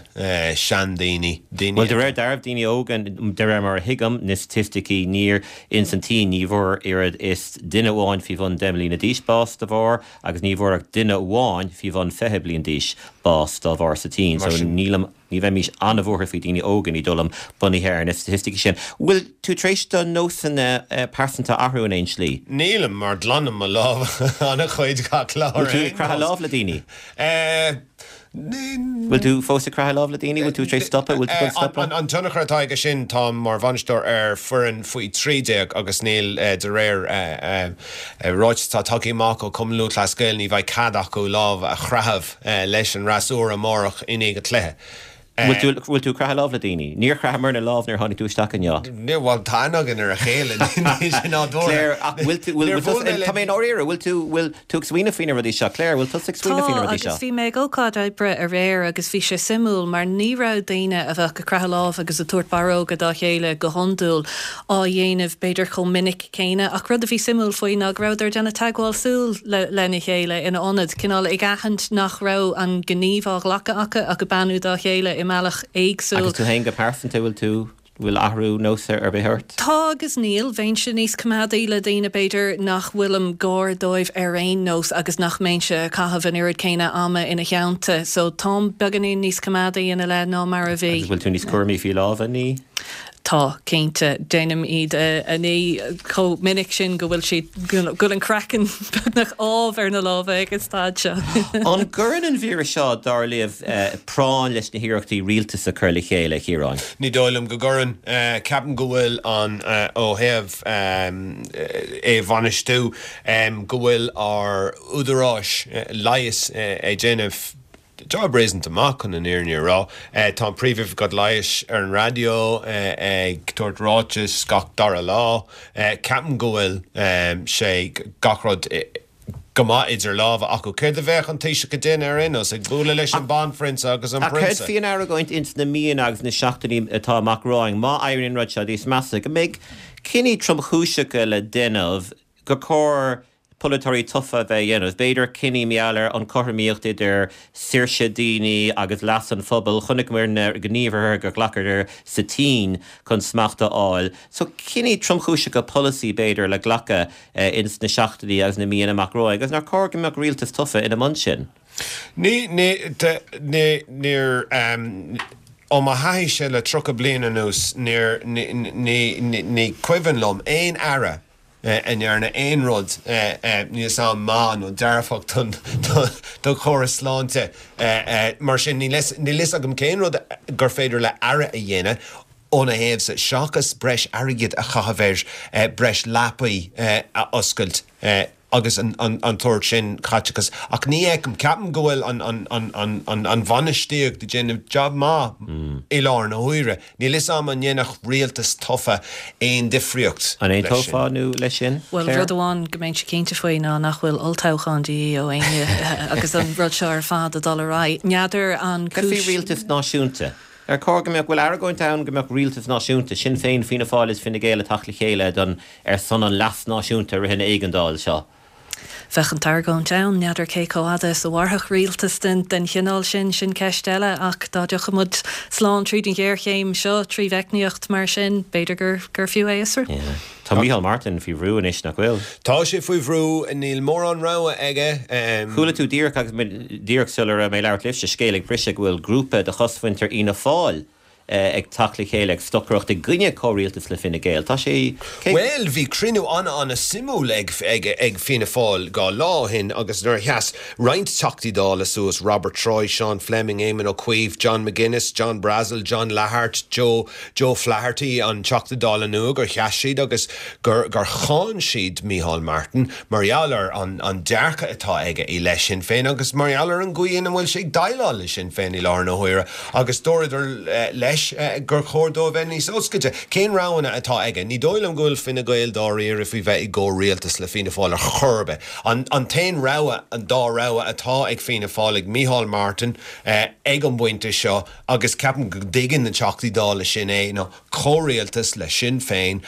seandaoine, daoine Bhuel de réir dealraimh daoine óga, de réir mar a thuigim na staitisticí, níor, ins an tSín ní bhfuair oiread is duine amháin faoi bhun 10 mbliana d'aois bás de bharr agus ní bhfuair ach duine amháin faoi bhun 20 bliain d'aois bás dá bharr sa tSín. So nílim, ní bheimis an-bhuartha faoi daoine óga, ní dóigh liom, bunaithe ar na staitisticí sin. Bhfuil tú tar éis do nósanna pearsanta a athrú in aon slí? Nílim, mar glanaim mo lámha an-chuid gach lá ar aon nós. Bhfuil tú ag croitheadh lámh le daoine? Bhfuil tú fós ag croitheadh lámh le daoine? Bhfuil tú tar éis stopadh? Bhfuil tú ag stopadh? An tionchar atá aige sin, táim mar bhainisteoir ar foireann faoi 13 agus níl, de réir ráiteas atá tagtha amach ó Chumann Lúthchleas Gael, ní bheidh cead acu lámh a chroitheadh leis an fhreasúra amárach i ndiaidh an chluiche. Bhfuil tú, bhfuil tú ag croitheadh lámh le daoine? Níor chroitheamarna lámh nuair a tháinig tú isteach inniu. Níor, bhuel, tá aithne againn ar a chéile, níl sé nádúrtha. Claire, ach bhfuil tú, bhfuil, bhfuil tusa, tá mé i ndáiríre, bhfuil tú, bhfuil tú ag smaoineamh faoi na rudaí seo? Claire, bhfuil tusa ag smaoineamh faoi na Tá, rudaí seo? agus bhí mé ag ócáid oibre aréir agus bhí sé suimiúil mar ní raibh daoine a bheadh ag croitheadh lámh agus ag tabhairt barróga dá chéile go hiondúil á dhéanamh b'fhéidir chomh minic céanna ach rud a bhí suimiúil faoi ná go rabhadar ag déanamh teagmháil súl lena chéile ina ionad, cineál ag aithint nach raibh an gníomh á ghlacadh acu ach ag beannú dá chéile i mbealach éagsúil. Agus tú féin go pearsanta, bhfuil tú, bhfuil athrú nós ar bith ort? Tá agus níl. Bheinnse níos coimeádaí le daoine b'fhéidir nach bhfuilim gar dóibh ar aon nós agus nach mbeinnse ag caitheamh an oiread céanna ama ina theannta. So táim beagáinín níos coimeádaí ina leith ná mar a bhí. Agus bhfuil tú níos cúramaí faoi lámha a ní? Tá, cinnte. Déanaim iad a ní chomh minic sin go bhfuil siad, go bhfuil an craiceann beagnach amh ar na lámha ag an staid seo. An gcuireann an víreas seo, dar libh, práinn leis na hiarrachtaí rialtas a chur le chéile, a Chiaráin? Ní dóigh liom go gcuireann. Ceapaim go bhfuil an, ó thaobh é a bhainistiú, go bhfuil ár údaráis leighis ag déanamh, Job réasúnta maith, chun an fhírinne a rá. Tá an Príomhoifigeach Leighis ar an raidió ag tabhairt ráiteas gach dara lá. Ceapaim go bhfuil sé, gach rud go maith idir lámha acu. Céard a bheadh an Taoiseach ag déanamh ar aon nós? Ag bualadh leis an Banphrionsa agus an Ach céard Prionsa? faoi an argóint ins na míonna agus na seachtainí atá amach romhainn, má éiríonn an rud seo níos measa, go mbeidh cinní tromchúiseacha le déanamh, gur chóir polaiteoirí tofa a bheith á dhéanamh. B'fhéidir cinní mar gheall ar an chothromaíocht idir saoirse daoine agus leas an phobail. Chonaiceamar na gníomhartha gur ghlacadar sa tSín chun smacht a fháil. So cinní tromchúiseacha polasaí b'fhéidir le glacadh ins na seachtainí agus na míonna amach romhainn agus nár chóir go mbeadh rialtas tofa ina mbun sin? Ní, ní, ní, níor, ó mo thaithíse le 30 bliain anuas níor, ní, ní, ní cuimhin liom aon aire a ndearna aon rud níl a fhios agam maith nó dearfach don chóras sláinte. Mar sin, níl a fhios agam cén rud gur féidir le aire a dhéanamh óna thaobhsa seachas breis airgid a chaitheamh ar breis leapaí a oscailt. agus an tsórt sin caiteachas. Ach ní fheicim, ceapaim go bhfuil an bhainistíocht ag déanamh jab maith i láthair na huaire. Níl fhios a'm an ndéanfadh rialtas tofa aon difríocht An leis sin. aontófá nó leis sin, Bhuel, Claire? rud amháin go mbeinnse cinnte faoi ná nach bhfuil olltoghchán de dhíth ó éinne agus an rud seo ar fad ag dul ar aghaidh. N'fheadar an Cad faoi cúis. rialtas náisiúnta? Ar chóir go mbeadh, bhfuil argóint ann go mbeadh rialtas náisiúnta, Sinn Féin, Fianna Fáil is Fine Gael ag teacht le chéile don, ar son an leas náisiúnta i rith an éigeandáil seo? Bheadh an t-argóint ann, n'fheadar cé chomh fhada is a mhairfeadh rialtas den den chineál sin, sin ceist eile, ach dá dtiocfadh muid slán tríd an ghéarchéim seo trí mheicníocht mar sin, b'fhéidir gur gur fiú é a fhiosrú. Yeah. Tá Micheál Martin faoi bhrú anois, nach bhfuil? Tá sé faoi bhrú, níl mórán rogha aige. Chuala tú díreach agus mé, díreach sula raibh mé ag labhairt libhse, scéal ag briseadh go bhfuil grúpa de chosmhuintir Fhianna Fáil ag teacht le chéile ag stocaireacht i gcoinne comhrialtas le Fine Gael. Tá sé, cé. Bhuel, bhí cruinniú an-an-suimiúil ag, ag, ag Fianna Fáil 2 lá ó shin agus nuair a sheas roinnt Teachtaí Dála suas, Robert Troy, Sean Fleming, Éamon Ó Cuív, John McGuinness, John Brassil, John Lahart, Joe, Joe Flaherty, an Teachta Dála nua, gur sheas siad agus gur gur cháin siad Micheál Martin mar gheall ar an an dearcadh atá aige i leith Sinn Féin agus mar gheall ar an gcaoi ina bhfuil sé ag déileáil le Sinn Féin i láthair na huaire agus dúradar leis gur chóir dó a bheith níos oscailte. Cén roghanna atá aige? Ní dóigh liom go bhfuil Fine Gael dáiríre faoi bheith i gcomhrialtas le Fianna Fáil ar chor ar bith. An an t-aon rogha, an dá rogha atá ag Fianna Fáil, ag Micheál Martin ag an bpointe seo, agus ceapaim go dtuigeann na Teachtaí Dála sin é, ná comhrialtas le Sinn Féin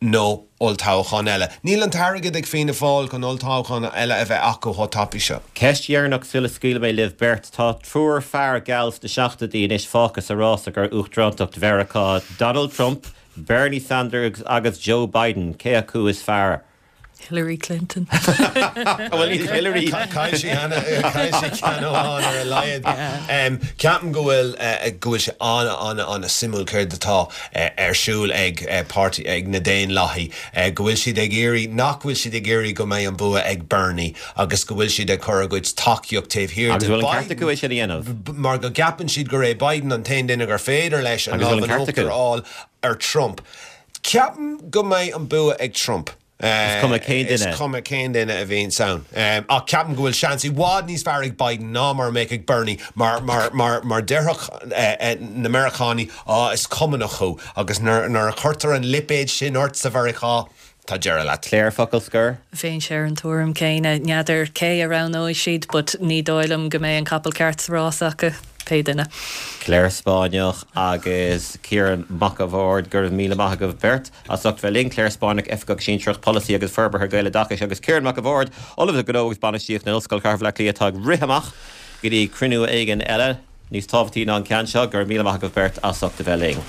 nó olltoghchán eile. Níl an t-airgead ag Fianna Fáil chun olltoghchán eile a bheith acu chomh tapaidh seo. Ceist dheireanach sula scaoilfidh mé libh beirt. Tá triúr fear geal sna seachtóidí anois fágtha sa rása do uachtarántacht Mheiriceá, Donald Trump, Bernie Sanders agus Joe Biden. Cé acu is fearr? Hillary Clinton. Bhuel, níl Hillary. Chaill sí cheana, chaill sí ceann amháin ar a laghad. Ceapaim go bhfuil, go bhfuil sé an-an-an-suimiúil céard atá ar siúl ag páirtí, ag na Daonlathaigh, go bhfuil siad ag iarraidh, nach bhfuil siad ag iarraidh go mbeidh an bua ag Bernie agus go bhfuil siad ag cur a gcuid tacaíocht taobh thiar de Biden. Agus bhfuil an ceart acu é sin a dhéanamh? Mar go gceapann siad gur é Biden an t-aon duine gur féidir leis an Agus lámh bhfuil an in ceart uachtar acu? a fháil ar Trump. Ceapaim go mbeidh an bua ag Trump. Is cuma cén duine. Is cuma cén duine a bhíonns ann. Ach ceapaim go bhfuil seans i bhfad níos fearr ag Biden ná mar a mbeadh ag Bernie mar, mar, mar, mar déarfadh na Meiriceánaigh, á, is Cumannach thú. Agus nuair, nuair a chuirtear an lipéad sin ort sa Mheiriceá, tá deireadh leat. Claire, focal scoir? Bheinnse ar an tuairim céanna. N'fheadar cé a roghnóidh siad but ní dóigh liom go mbeidh an capall ceart sa rás acu, pé duine. Claire Spáinneach agus Ciarán Mac a' Bhaird, go raibh míle maith agaibh beirt. As ucht bheith linn, Claire Spáinneach, Oifigeach Sinsearach Polasaí agus Forbartha Gaeloideachais agus Ciarán Mac a' Bhaird, Ollamh le Gnó agus Bainistíocht in Ollscoil Chathair Bhaile Átha Cliath atá ag rith amach go dtí cruinniú éigin eile níos tábhachtaí ná an ceann seo. Go raibh míle maith agaibh beirt as ucht a bheith linn.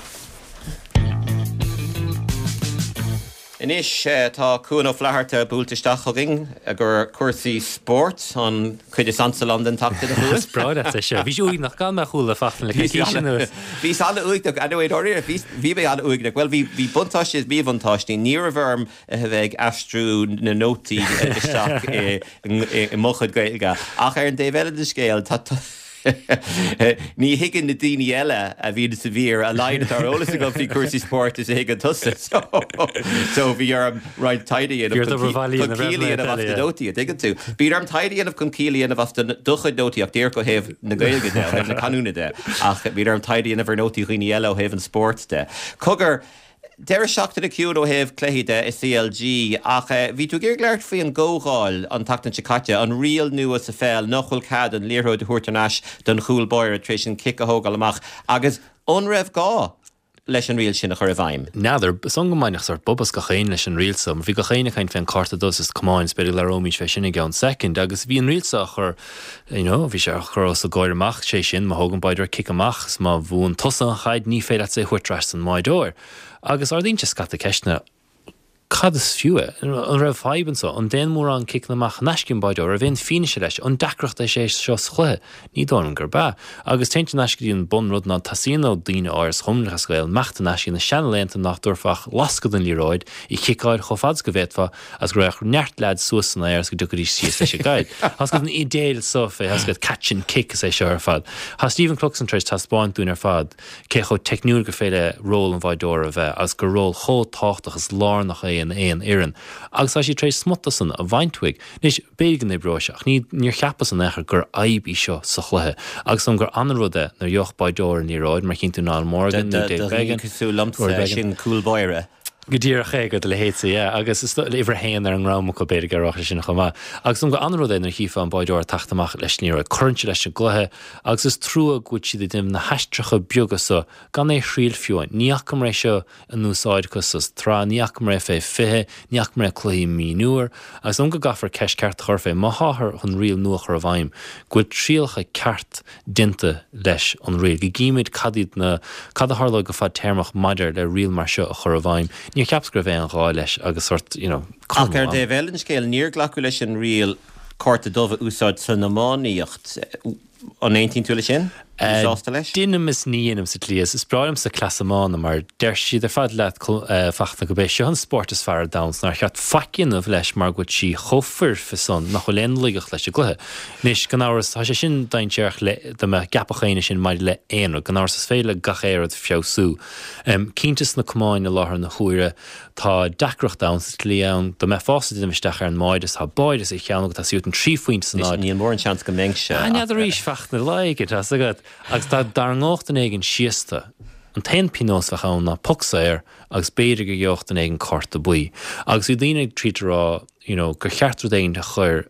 Anois tá Cuan Ó Flatharta buailte isteach chugainn i gcomhair cúrsaí spóirt, an chuid is ansa liom den tseachtain, a Chuain. Is breá leat é seo. Bhís uaigneach gan mé a chuala Fachtna le coicís anuas. Bhíos an-uaigneach, anyway, dáiríre, bhí, bhí mé an-uaigneach. Bhuel, bhí, bhí buntáistí is míbhuntáistí. Ní raibh orm a bheith ag aistriú na nótaí isteach i, i, i mo chuid Gaeilge. Ach ar an dtaobh eile den scéal, tá, tá, Ní thuigeann na daoine eile a bhíonn sa mhír a laghad atá ar eolas agam faoi chúrsaí spóirt is a thuigeann tusa. So bhí orm roinnt taighde a dhéanamh chun ciall a dhéanamh as na nótaí, an dtuigeann tú? Bíonn orm taighde a dhéanamh chun ciall a dhéanamh as do chuid nótaí ach díreach ó thaobh na Gaeilge de, ó thaobh na canúna de, ach bíonn orm taighde a dhéanamh ar nótaí dhaoine eile ó thaobh an spóirt de. Cogar, Deireadh seachtaine ciúin ó thaobh cluichí de i CLG ach bhí tú ag iarraidh labhairt faoi an gcomhdháil an tseachtain seo caite, an riail nua sa pheil nach bhfuil cead an liathróid a thabhairt ar ais don chúl báire tar éis an cic a thógáil amach agus an raibh gá leis an riail sin a chur i bhfeidhm? N'fheadar, is dóigh liom go mbainfeadh sórt bob as gach éinne leis an riail so, mar bhí gach éinne ag caint fén cárta dubh sna camáin, is b'fhéidir go labhróimís fé sin i gceann soicind, agus bhí an riail so á chur, you know, bhí sé á chur os a gcomhair amach, sé sin, má thógann báideoir cic amach is má bhuann tusa an chaid, ní féidir leatsa é a thabhairt ar ais don mbáideoir. Agus ardaíonn sé scata ceisteanna, cad is fiú é? An raibh fadhb anso? An dtéann mórán ciceanna amach in aisce ón báideoir? An raibh aon fianaise leis? An deacracht é sé seo sa chluiche? Ní dóigh liom gurb ea. Agus téann sé in aisce go dtí an bunrud ná teastaíonn ó daoine áirithe sa Chumann Lúthchleas Gael imeacht in aisce na seanlaethanta nach dtabharfá ach lascadh don liathróid, í chiceáil chomh fada is go bhféadfá, agus go raghadh neart leaids suas san aer agus go dtiocfaidís síos leis an gcaid. Tá's agat an idéal so fé, tá's agat catch and kick is é seo ar fad. Tá Stephen Cluxton tar éis taispeáint dúinn ar fad cé chomh teicniúil gur féidir le ról an bháideora a bheith agus gur ról chomh tábhachtach is lárnach é in aon fhoireann. Agus tá siad tar éis smut de san a bhaint uaidh. Anois, b'fhéidir go n-oibreoidh sé ach ní, níor cheapas in aon chor gur fhadhb í seo sa chluiche. Agus is dóigh liom gur ana-rud é nuair a gheobhadh báideoir an liathróid, mar chíonn tú Niall Morgan nó Dave Do dhaoine Beggan, cosúil liomsa, sin cúl báire. Go díreach é, do do leithéidse, yeah. Agus is dóigh, uimhir a haon ar an ngram acu, b'fhéidir go raibh sé sin chomh maith. Agus is dóigh liom gur an-rud é nuair a chífeá an báideoir ag teacht amach leis an liathróid. Cuireann sé leis an gcluiche agus is trua go bhfuil siad ag déanamh na haistreacha beaga so gan é a thriail fiú amháin. Ní fhacamar é seo in úsáid acu sa tsraith, ní fhacamar é fé 20, ní fhacamar é cluichí mionúir. Agus is dóigh liom go gcaithfear ceist ceart a chur fé, má tháthar chun riail nua a chur i bhfeidhm, go bhfuil trialacha ceart déanta leis an riail, go gcímid cad iad na, cad a tharlóidh go fadtéarmach maidir le riail mar seo a chur i bhfeidhm. Níor cheapas go raibh aon ghá leis agus sort, you know, cur Ach ar an dtaobh eile den scéal, níor glacadh leis an riail cárta dubh a úsáid san iománaíocht. An aontaíonn tú leis sin? An sásta leis? Deinim is ní dheinim sa tslí is. Is breá liomsa cleas iomána mar deir siad ar fad leat, Fachtna, gurb é seo an spórt is fearr ar domhan 's nár cheart faic a dhéanamh leis mar go bhfuil sí chomh foirfe san nach bhfuil aon laigeacht leis an gcluiche. Anois, gan amhras, tá sé sin dainséarach le, dá mbeadh a gceapfadh éinne sin maidir le aon rud. Gan amhras, is féidir le gach aon rud feabhsú. Cinnte sna camáin i láthair na huaire, tá deacracht ann sa tslí ann, dá mbeifeása ag déanamh isteach ar an mbáide is tá báide sa cheann agat, tá sí uait an 3 phointe san áit. Níl mórán seans go mbeinnse. Ah, n'fheadar arís, Fachtna, lá éigin, tá's agat. Agus dá dtarraingeodh duine éigin síos tú, an t-aon pionós a bheadh ann ná poc saor agus b'fhéidir go gheobhadh duine éigin cárta buí. Agus bhí daoine ag triail a rá, you know, gur cheart rud éigin a chur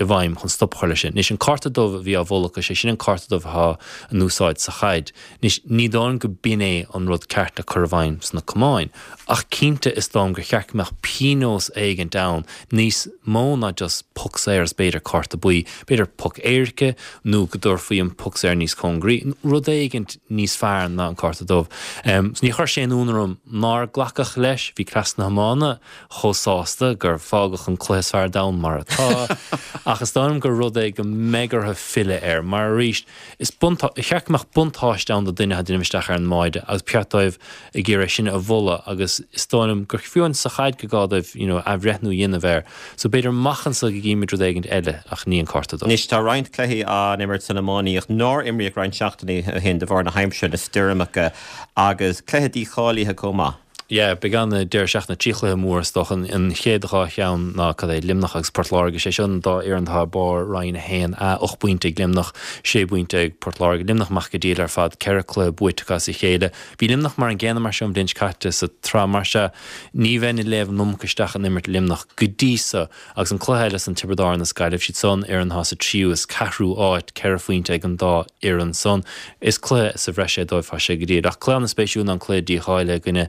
i bhfeidhm chun stop a chur leis sin. Anois, an cárta dubh a bhí á mholadh acu, sé sin an cárta dubh atá in úsáid sa chaid. Anois, ní dóigh liom go b'in é an rud ceart le cur i bhfeidhm sna camáin. Ach cinnte, is dóigh liom gur cheart go mbeadh pionós éigint ann, níos mó ná just poc saor is b'fhéidir cárta buí, b'fhéidir poc éirice nó go dtabharfaí an poc saor níos cóngaraí, rud éigint níos fearr ná an cárta dubh. So ní chuir sé aon ionadh orm nár glacadh leis, bhí cleas na hiomána, chomh sásta gur fágadh an cluiche is fearr ar domhan mar atá, ach is dóigh liom gur rud é go mbeidh orthu filleadh air, mar arís, is buntá, cheart go mbeadh buntáiste ann do duine atá ag déanamh isteach ar an mbáide agus ba cheart dóibh ag iarraidh sin a mholadh agus is dóigh liom gur fiú amháin sa chaid go gá dóibh you know athbhreithniú a dhéanamh air. So b'fhéidir amach anso go gcímid rud éigin eile ach ní an cárta dubh. Anois tá roinnt cluichí á n-imirt san iománaíocht nár imríodh roinnt seachtainí ó shin de bharr na haimsire, na stoirmeacha agus cluiche dícháilithe chomh maith. Yeah, beidh an-deireadh seachtaine, 3 chluiche mór is dócha. An chéad dhá cheann ná cad é, Luimneach agus Port Láirge. Sé seo an dá fhoireann atá i barr Roinn 1A, 8 bpointe ag Luimneach, 6 bpointe ag Port Láirge. Luimneach amach go diail ar fad, 4 cluiche buaite acu as a chéile. Bhí Luimneach mar an gcéanna mar seo an bhliain seo caite sa tsraith, mar sea ní bheinn ag léamh an iomarca isteach in imirt Luimneach go dtí so. Agus an cluiche eile san Tiobraid Árann is Gaillimh, siad san fhoireann atá sa tríú is ceathrú áit, 4 phointe ag an dá fhoireann san. Is cluiche sa bhreis é dóibh, tá sé go diail. Ach cluiche an-spéisiúil ná an cluiche dícháilithe i gcoinne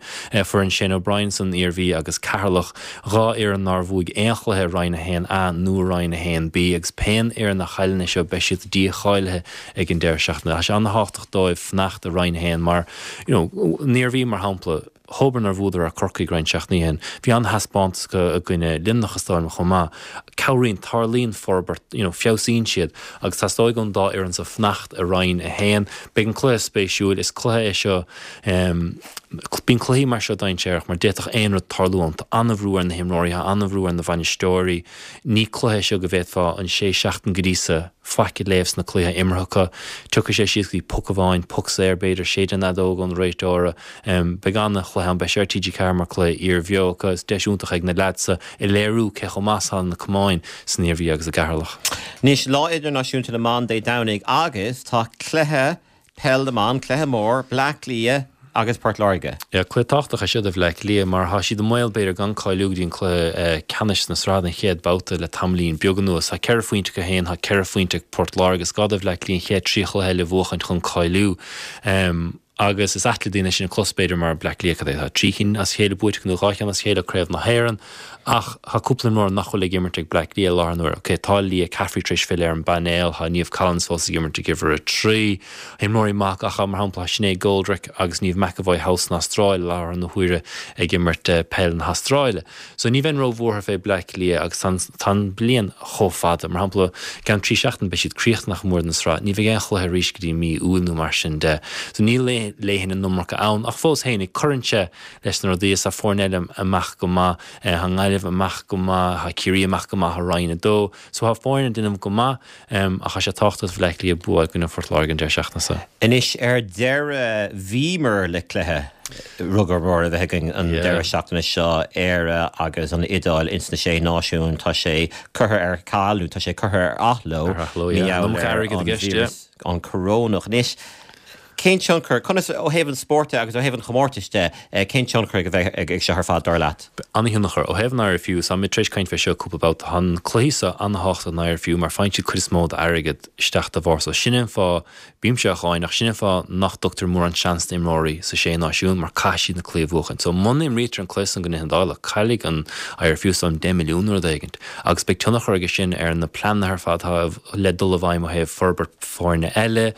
foireann Shane O'Brien san Iarmhí agus Ceatharlach, dhá fhoireann nár bhuaigh aon chluiche i Roinn 1A nó i Roinn 1B agus pé fhoireann a chailleann é seo beidh siad dícháilithe ag an deireadh seachtaine. Tá sé an-thábhachtach dóibh fanacht i Roinn 1 mar, you know, an Iarmhí mar shampla, Dhóbair nár bhuadar ar Corcaigh roinnt seachtainí ó shin. Bhí an-thaispeántas acu i gcoinne Luimneach is dóigh liom chomh maith. Cabhraíonn, tarlaíonn forbairt, you know, feabhsaíonn siad agus teastóidh ón dá fhoireann so fanacht i Roinn 1. Beidh an cluiche spéisiúil. Is cluiche é seo, em, bíonn cluichí mar seo dainséarach mar d'fhéadfadh aon rud tarlú ann. Tá an-bhrú ar na himreoirí, tá an-bhrú ar na bhainisteoirí. Ní cluiche é seo go bhféadfá an sé seachtain go dtí so faic a léamh sna cluichí imeartha acu. Tiocfaidh sé síos go dtí poc amháin, poc saor b'fhéidir, séideadh an fheadóg ón réiteora. Beidh an-chluiche ann, beidh sé ar TG4 mar cluiche iarbheo acu. Is deis iontach ag na leaids so a léiriú cé chomh maith is atá na camáin san Iarmhí agus i gCeatharlach. Anois, Lá Idirnáisiúnta na mBan Dé Domhnaigh agus tá cluiche Peil na mBan, cluiche mór, Bleá Cliath agus Port Láirge. Yeah, cluiche tábhachtach é seo do Bhleá Cliath mar tá siad i mbaol b'fhéidir gan cáiliú go dtí an cluiche ceannais sna sraith den chéad babhta le tamaillín beag anuas. Tá 4 phointe acu féin, tá 4 phointe ag Port Láirge. Is gá do Bhleá Cliath an chéad 3 chluiche eile a bhuachaint chun cáiliú. Agus is ait le daoine sin a chlos b'fhéidir mar Bleá Cliath cad é tá trí chinn as a chéile buaite acu nó dhá cheann as a chéile Craobh na hÉireann ach tá cúpla imreoir nach bhfuil ag imirt ag Bleá Cliath i láthair na huaire. Ok tá Leah Caffrey tar éis filleadh ar an bpainéal, tá Niamh Collins fós ag imirt ag uimhir 3. Tá imreoirí maithe ach mar shampla tá Sinéad Goldrick agus Niamh McEvoy thall san Astráil i láthair na huaire ag imirt peil na hAstráile. So ní bheinn ró-bhuartha fé Bleá Cliath agus tá an, tá an bliain chomh fada. Mar shampla, i gceann 3 seachtain beidh siad críochnaithe nach mór den sraith. Ní bheidh aon chluiche arís go dtí mí Iúil nó mar sin de. So níl léigheann an iomarca ann ach fós fhéinig cuireann sé leis na rudaí is tá foirne eile amach go maith. Tá an Ghaillimh amach go maith, tá Ciarraí amach go maith i Roinn 2. So tá foirne ag déanamh go maith ach tá sé tábhachtach do Bhleá Cliath bua i gcoinne Phort Láirge an deireadh seachtaine seo. Anois ar deireadh bhíomar le cluiche rugar mór a bheith againn an deireadh seachtaine seo, Éire agus an Iodáil ins na Sé Náisiún. Tá sé curtha ar ceal nó tá sé curtha ar athló mar gheall ar an víreas, an corónach. Anois cén tionchar, conas, ó thaobh an spóirt de agus ó thaobh an chomórtais de, cén tionchar a bheidh ag seo ar fad, dar leat? An-thionchar. Ó thaobh an IRFU, tá muid tar éis caint fé seo cúpla babhta, tá na cluichí seo an-thábhachtach don IRFU mar faigheann siad cuid is mó d'airgead isteach dá bharr. So sin é an fáth, bímse á cháineadh, ach sin é an fáth nach dtugtar mórán seans d'imreoirí sa Sé Náisiún mar caithfidh siad na cluichí a bhuachaint. So muna imrítear an cluiche san i gcoinne na hIodáile, caillfidh an IRFU some 10 milliún nó rud éigint agus beidh tionchar aige sin ar na pleananna ar fad atá le dul i bhfeidhm ó thaobh forbairt foirne eile,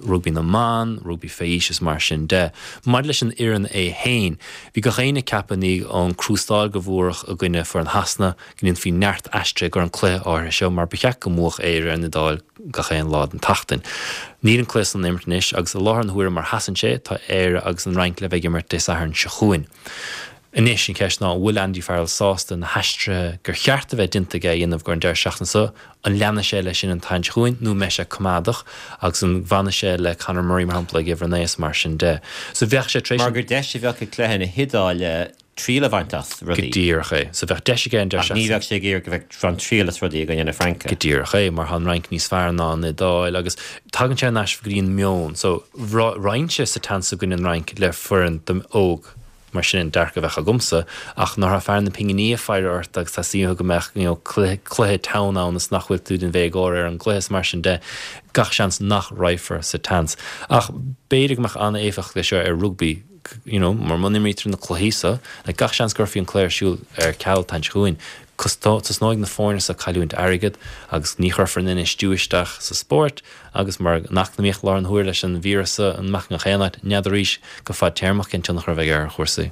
rugbaí na mban, rugbaí fé aois is mar sin de. Maidir leis an fhoireann é féin, bhí gach éinne ag ceapadh i ndiaidh an crústáil go bhfuaradh i gcoinne foireann Shasana go ndéanfaí neart aistrithe gur an cluiche áirithe seo mar ba cheart go mbuafadh Éire ar an Iodáil gach aon lá den tseachtain. Níl an cluiche san imirt anois agus i láthair na huaire mar sheasann sé tá Éire agus an Fhrainc le bheith ag imirt Dé Sathairn seo chugainn. Anois an cheist ná an bhfuil Andy Farrell sásta na haistrithe gur cheart a bheith déanta aige a dhéanamh gur an deireadh seachtaine seo, an leanfaidh sé leis sin an tseachtain seo chugainn nó an mbeidh sé coimeádach agus an bhfanfaidh sé le Conor Murray mar shampla ag uimhir a 9 is mar sin de. So bheadh sé tar éis Mar gur deis a bheadh i gcluiche na hIodáile triail a bhaint as rudaí. Go díreach é. So bheadh deis aige an deireadh Ach ní bheadh sé ag iarraidh go bheadh baint triail as rudaí i gcoinne na Fraince. Go díreach é, mar tá an Fhrainc níos fearr ná an Iodáil agus tagann sé thar n-ais go dtí an meon. So raghainn sa tseans i gcoinne an Fhrainc le foireann óg. Mar sin an dearcadh a bheadh agamsa, ach nuair atá fear na pinginí ag faire ort agus teastaíonn uathu go mbeadh you know cluiche, cluiche teann ann is nach bhfuil tú den bhéagóir ar an gcluiche is mar sin de, gach seans nach raghfar sa tseans. Ach b'fhéidir go mbeadh an-éifeacht aige seo ar rugbaí, you know, mar muna n-imrítear na cluichí seo, like gach seans go gcuirfí an cluiche ar siúl ar ceal an tseachtain seo chugainn, tosnóidh na foirne seo ag cailliúint airgead agus ní chuirfear an infheistiú isteach sa spórt, Agus mar an eacnamaíocht i láthair na huaire leis an víreas seo amach i ngach aon áit, n'fheadar arís go fadtéarmach cén tionchar a bheidh ar chúrsaí.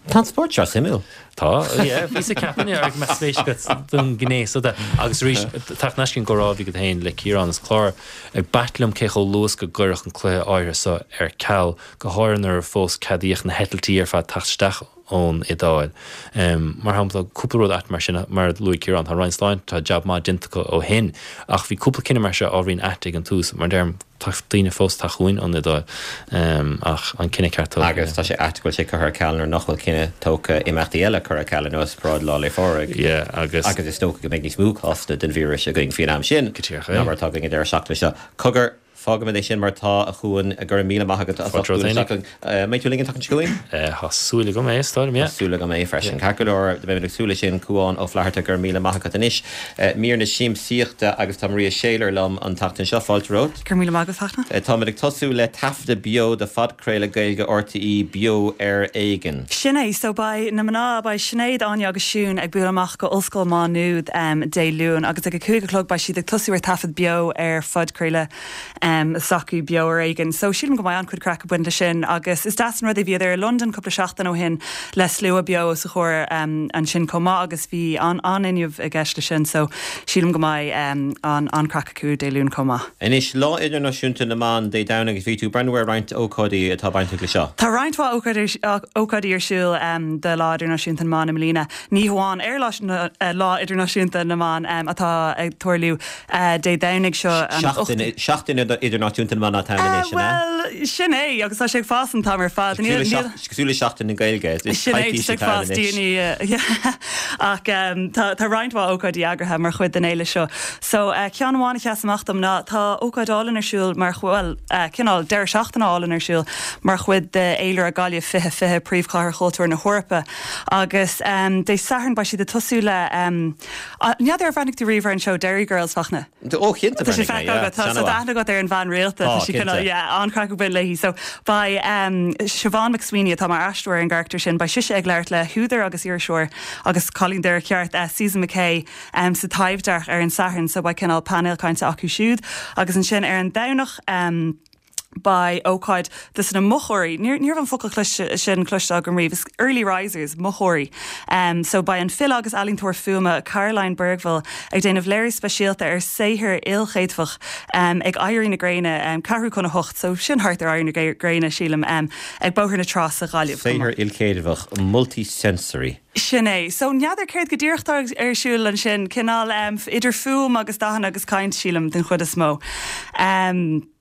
Tá an spórt seo suimiúil. Tá, yeah, bhíos ag ceapadh go mbeadh spéis agat don ghné seo de. Agus arís, teacht in aisce an gcomhrá a bhí agat féin le Ciarán is clár, b'ait liom cé chomh luath is go gcuireadh an cluiche áirithe seo ar ceal, go háirithe nuair a fós ceadaíodh na heitiltí ar fad teacht isteach. ón Iodáil. Mar shampla, cúpla rud ait mar sin, mar a luaigh Ciarán, tá an Roinn Sláinte, tá jab maith déanta acu ó shin, ach bhí cúpla cinneadh mar seo ábhairín ait ag an tús, mar a deirim, tá daoine fós ag teacht chugainn ón Iodáil, ach an cinneadh ceart tógtha. Agus tá sé ait go bhfuil sé curtha ar ceal nuair nach bhfuil cinneadh tógtha imeachtaí eile curtha ar ceal ar nós paráid Lá 'le Phádraig. Yeah, agus. Agus is dócha go mbeidh níos mó cásanna den víreas againn faoin am sin ná mar atá againn an deireadh seachtaine seo. Cogar, Fágfaimid é sin mar atá, a Chuain. Go raibh míle maith agat as ucht bualadh isteach linn. An mbeidh tú linn an tseachtain seo chugainn? Tá súil agam é, is dóigh liom, yeah. Tá súil agam é freisin. Ceart go leor, beimid ag súil leis sin. Cuán Ó Flatharta, go raibh míle maith agat. Anois, mír na siamsaíochta agus tá Maria Shayler liom an tseachtain seo. Fáilte romhat. Go raibh míle maith agat, Fachtna. Táimid ag tosú le taifeadadh beo de phodchraoladh Gaeilge RTÉ, Beo ar Éigean. Sin é. So beidh na mná, beidh Sinéad, Áine agus Siún ag bualadh amach go Ollscoil Mhá Nuad Dé Luain agus ag a 5 a chlog beidh siad ag tosú ar taifead beo ar phodchraoladh s'acu, Beo ar Éigean. So sílim go mbeidh an-chuid craic ag baint leis sin agus is deas an rud é, bhíodar i Londain cúpla seachtain ó shin le slua beo os a chomhair ansin chomh maith agus bhí an-fhuinneamh i gceist leis sin so sílim go mbeidh an-chraic acu Dé Luain chomh maith. Anois, Lá Idirnáisiúnta na mBan Dé Domhnaigh agus bhí tú ag breathnú ar roinnt ócáidí atá bainteach le seo. Tá roinnt mhaith ócáidí ar siúl do Lá Idirnáisiúnta na mBan i mbliana. Ní hamháin ar Lá Idirnáisiúnta na mBan atá ag tarlú Dé Domhnaigh seo an Seachtain Seachtain Idirnáisiúnta na mBan atá ann anois, an ea? Bhuel, sin é agus tá sé ag fás an t-am ar fad. Cosúil le Seachtain na Gaeilge, is Sin é, coicís ag atá fás ann anois. daoine ach tá roinnt mhaith ócáidí eagraithe mar chuid den fhéile seo. So, ceann amháin a sheas amach dom ná tá ócáid álainn ar siúl mar, bhuel, cineál deireadh seachtaine álainn ar siúl mar chuid de fhéilire Gaillimh 2020, Príomhchathair Chultúir na hEorpa. Agus Dé Sathairn beidh siad ag tosú le, n'fheadar ar bhreathnaigh tú riamh ar an seó Derry Girls, Fachtna? Ó, cinnte Tá sé feicthe agat, tá, so tá aithne agat ar an bhean rialta, Tá, tá sí cineál, cinnte. yeah, an-chraic ag baint léi. So beidh Siobhán McSweeney, atá mar aisteoir ar an gcarachtar sin, beidh sise ag labhairt le húdar agus iriseoir agus cailín Doire ceart, Susan McKay, sa Taibhdhearc ar an Satharn, so beidh cineál painéal cainte acu siúd. Agus ansin ar an Domhnach, beidh ócáid dos na mochóirí, ní raibh an focal cloiste sin cloiste agam riamh, is early risers, mochóirí. So beidh an file agus ealaíontóir fuaime Caroline Bergvall ag déanamh léiriú speisialta ar saothar ilchéadfach ag éirí na gréine, ceathrú chun a hocht, so sin thart ar éirí na gréine sílim, ag Bóthar na Trá sa Ghaillimh. Saothar ilchéadfach, multi-sensory. Sin é. So, n'fheadar céard go díreach atá ar siúl ansin. Cineál idir fuaim agus dathanna agus caint, sílim, den chuid is mó.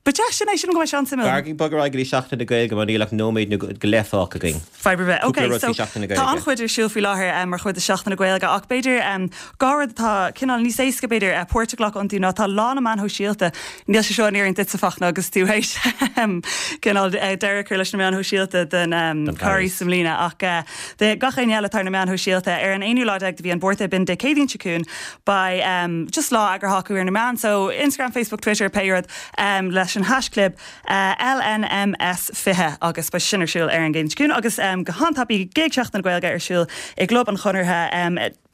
But yeah, sin é. Sílim go mbeidh sé an-suimiúil. B'fhearr bog ar aghaidh go dtí Seachtain na Gaeilge mar níl ach nóiméad nó go leith fágtha againn. Fadhb ar bith. Cúpla Ok, rud so faoi Seachtain na tá Gaeilge. an-chuid ar siúl faoi láthair mar chuid de Seachtain na Gaeilge ach b'fhéidir dhá rud atá cineál níos éasca b'fhéidir páirt a ghlacadh iontu ná tá Lá na Meán Shóisialta, níl sé seo in oiriúint duitse Fachtna agus tú théis cineál deireadh a chur leis na meáin shóisialta don Don Carghas Carghas. i mbliana ach Do gach éinne eile atá ar na meáin shóisialta, ar an aonú lá déag de mhí an Mhárta, b'in Dé Céadaoin seo chugainn, beidh just lá eagraithe acu ar na meáin, so Instagram, Facebook, Twitter, pé rud, leis an haischlib LNMS20 agus beidh sin ar siúl ar an gCéadaoin seo chugainn agus go han-tapaidh gig Sheachtain na Gaeilge ar siúl i gClub an Chonartha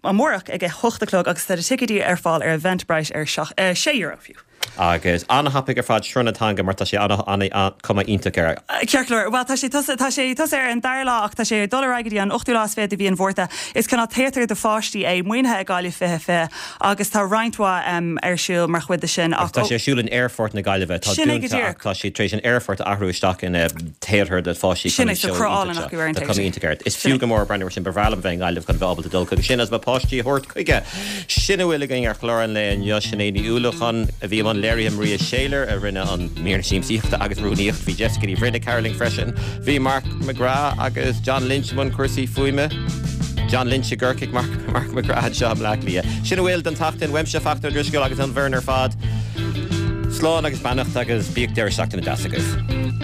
amárach ag a hocht a chlog agus tá na ticéidí ar fáil ar Eventbrite ar €6 fiú. Agus an-thapaidh ar fad Sruth na Teanga mar tá sé an-chuma iontach air. Ceart go leor. Bhuel, tá sé tosaithe, tá sé tosaithe ar an dara lá ach tá sé ag dul ar aghaidh go dtí an ochtú lá is fiche de mhí an Mhárta. Is cineál téatar do pháistí é, maoinithe ag Gaillimh 2020 agus tá roinnt mhaith ar siúl mar chuid de sin ach. Agus tá sé ar siúl in Aerfort na Gaillimhe, atá Sin é go dúnta díreach. ach tá siad tar éis an aerfort a athrú isteach ina théatar do pháistí Sin chun é, an so seó cruth iontach álainn seo. acu ar an Tá téatar. cuma iontach air. Is Sin fiú é. go mór breathnú air sin. Ba bhreá liom bheith i nGaillimh chun bheith ábalta dul chuige sin agus mo pháistí a thabhairt chuige. Sin a bhfuil againn ar chlár an lae inniu. Sinéad Ní Uallacháin a bhí i mbun léirithe, Maria Shayler a rinne an mír siamsaíochta agus rúnaíocht, bhí Jessica Ní Bhroin ag cabhrú linn freisin, bhí Mark McGrath agus John Lynch i mbun cúrsaí fuaime, John Lynch i gCorcaigh, Mark Mark McGrath anseo i mBleá Cliath. Sin a bhfuil don tseachtain uaimse, Fachtna Ó Drisceoil agus an bhfoireann ar fad. Slán agus beannacht agus bíodh deireadh seachtaine deas agaibh.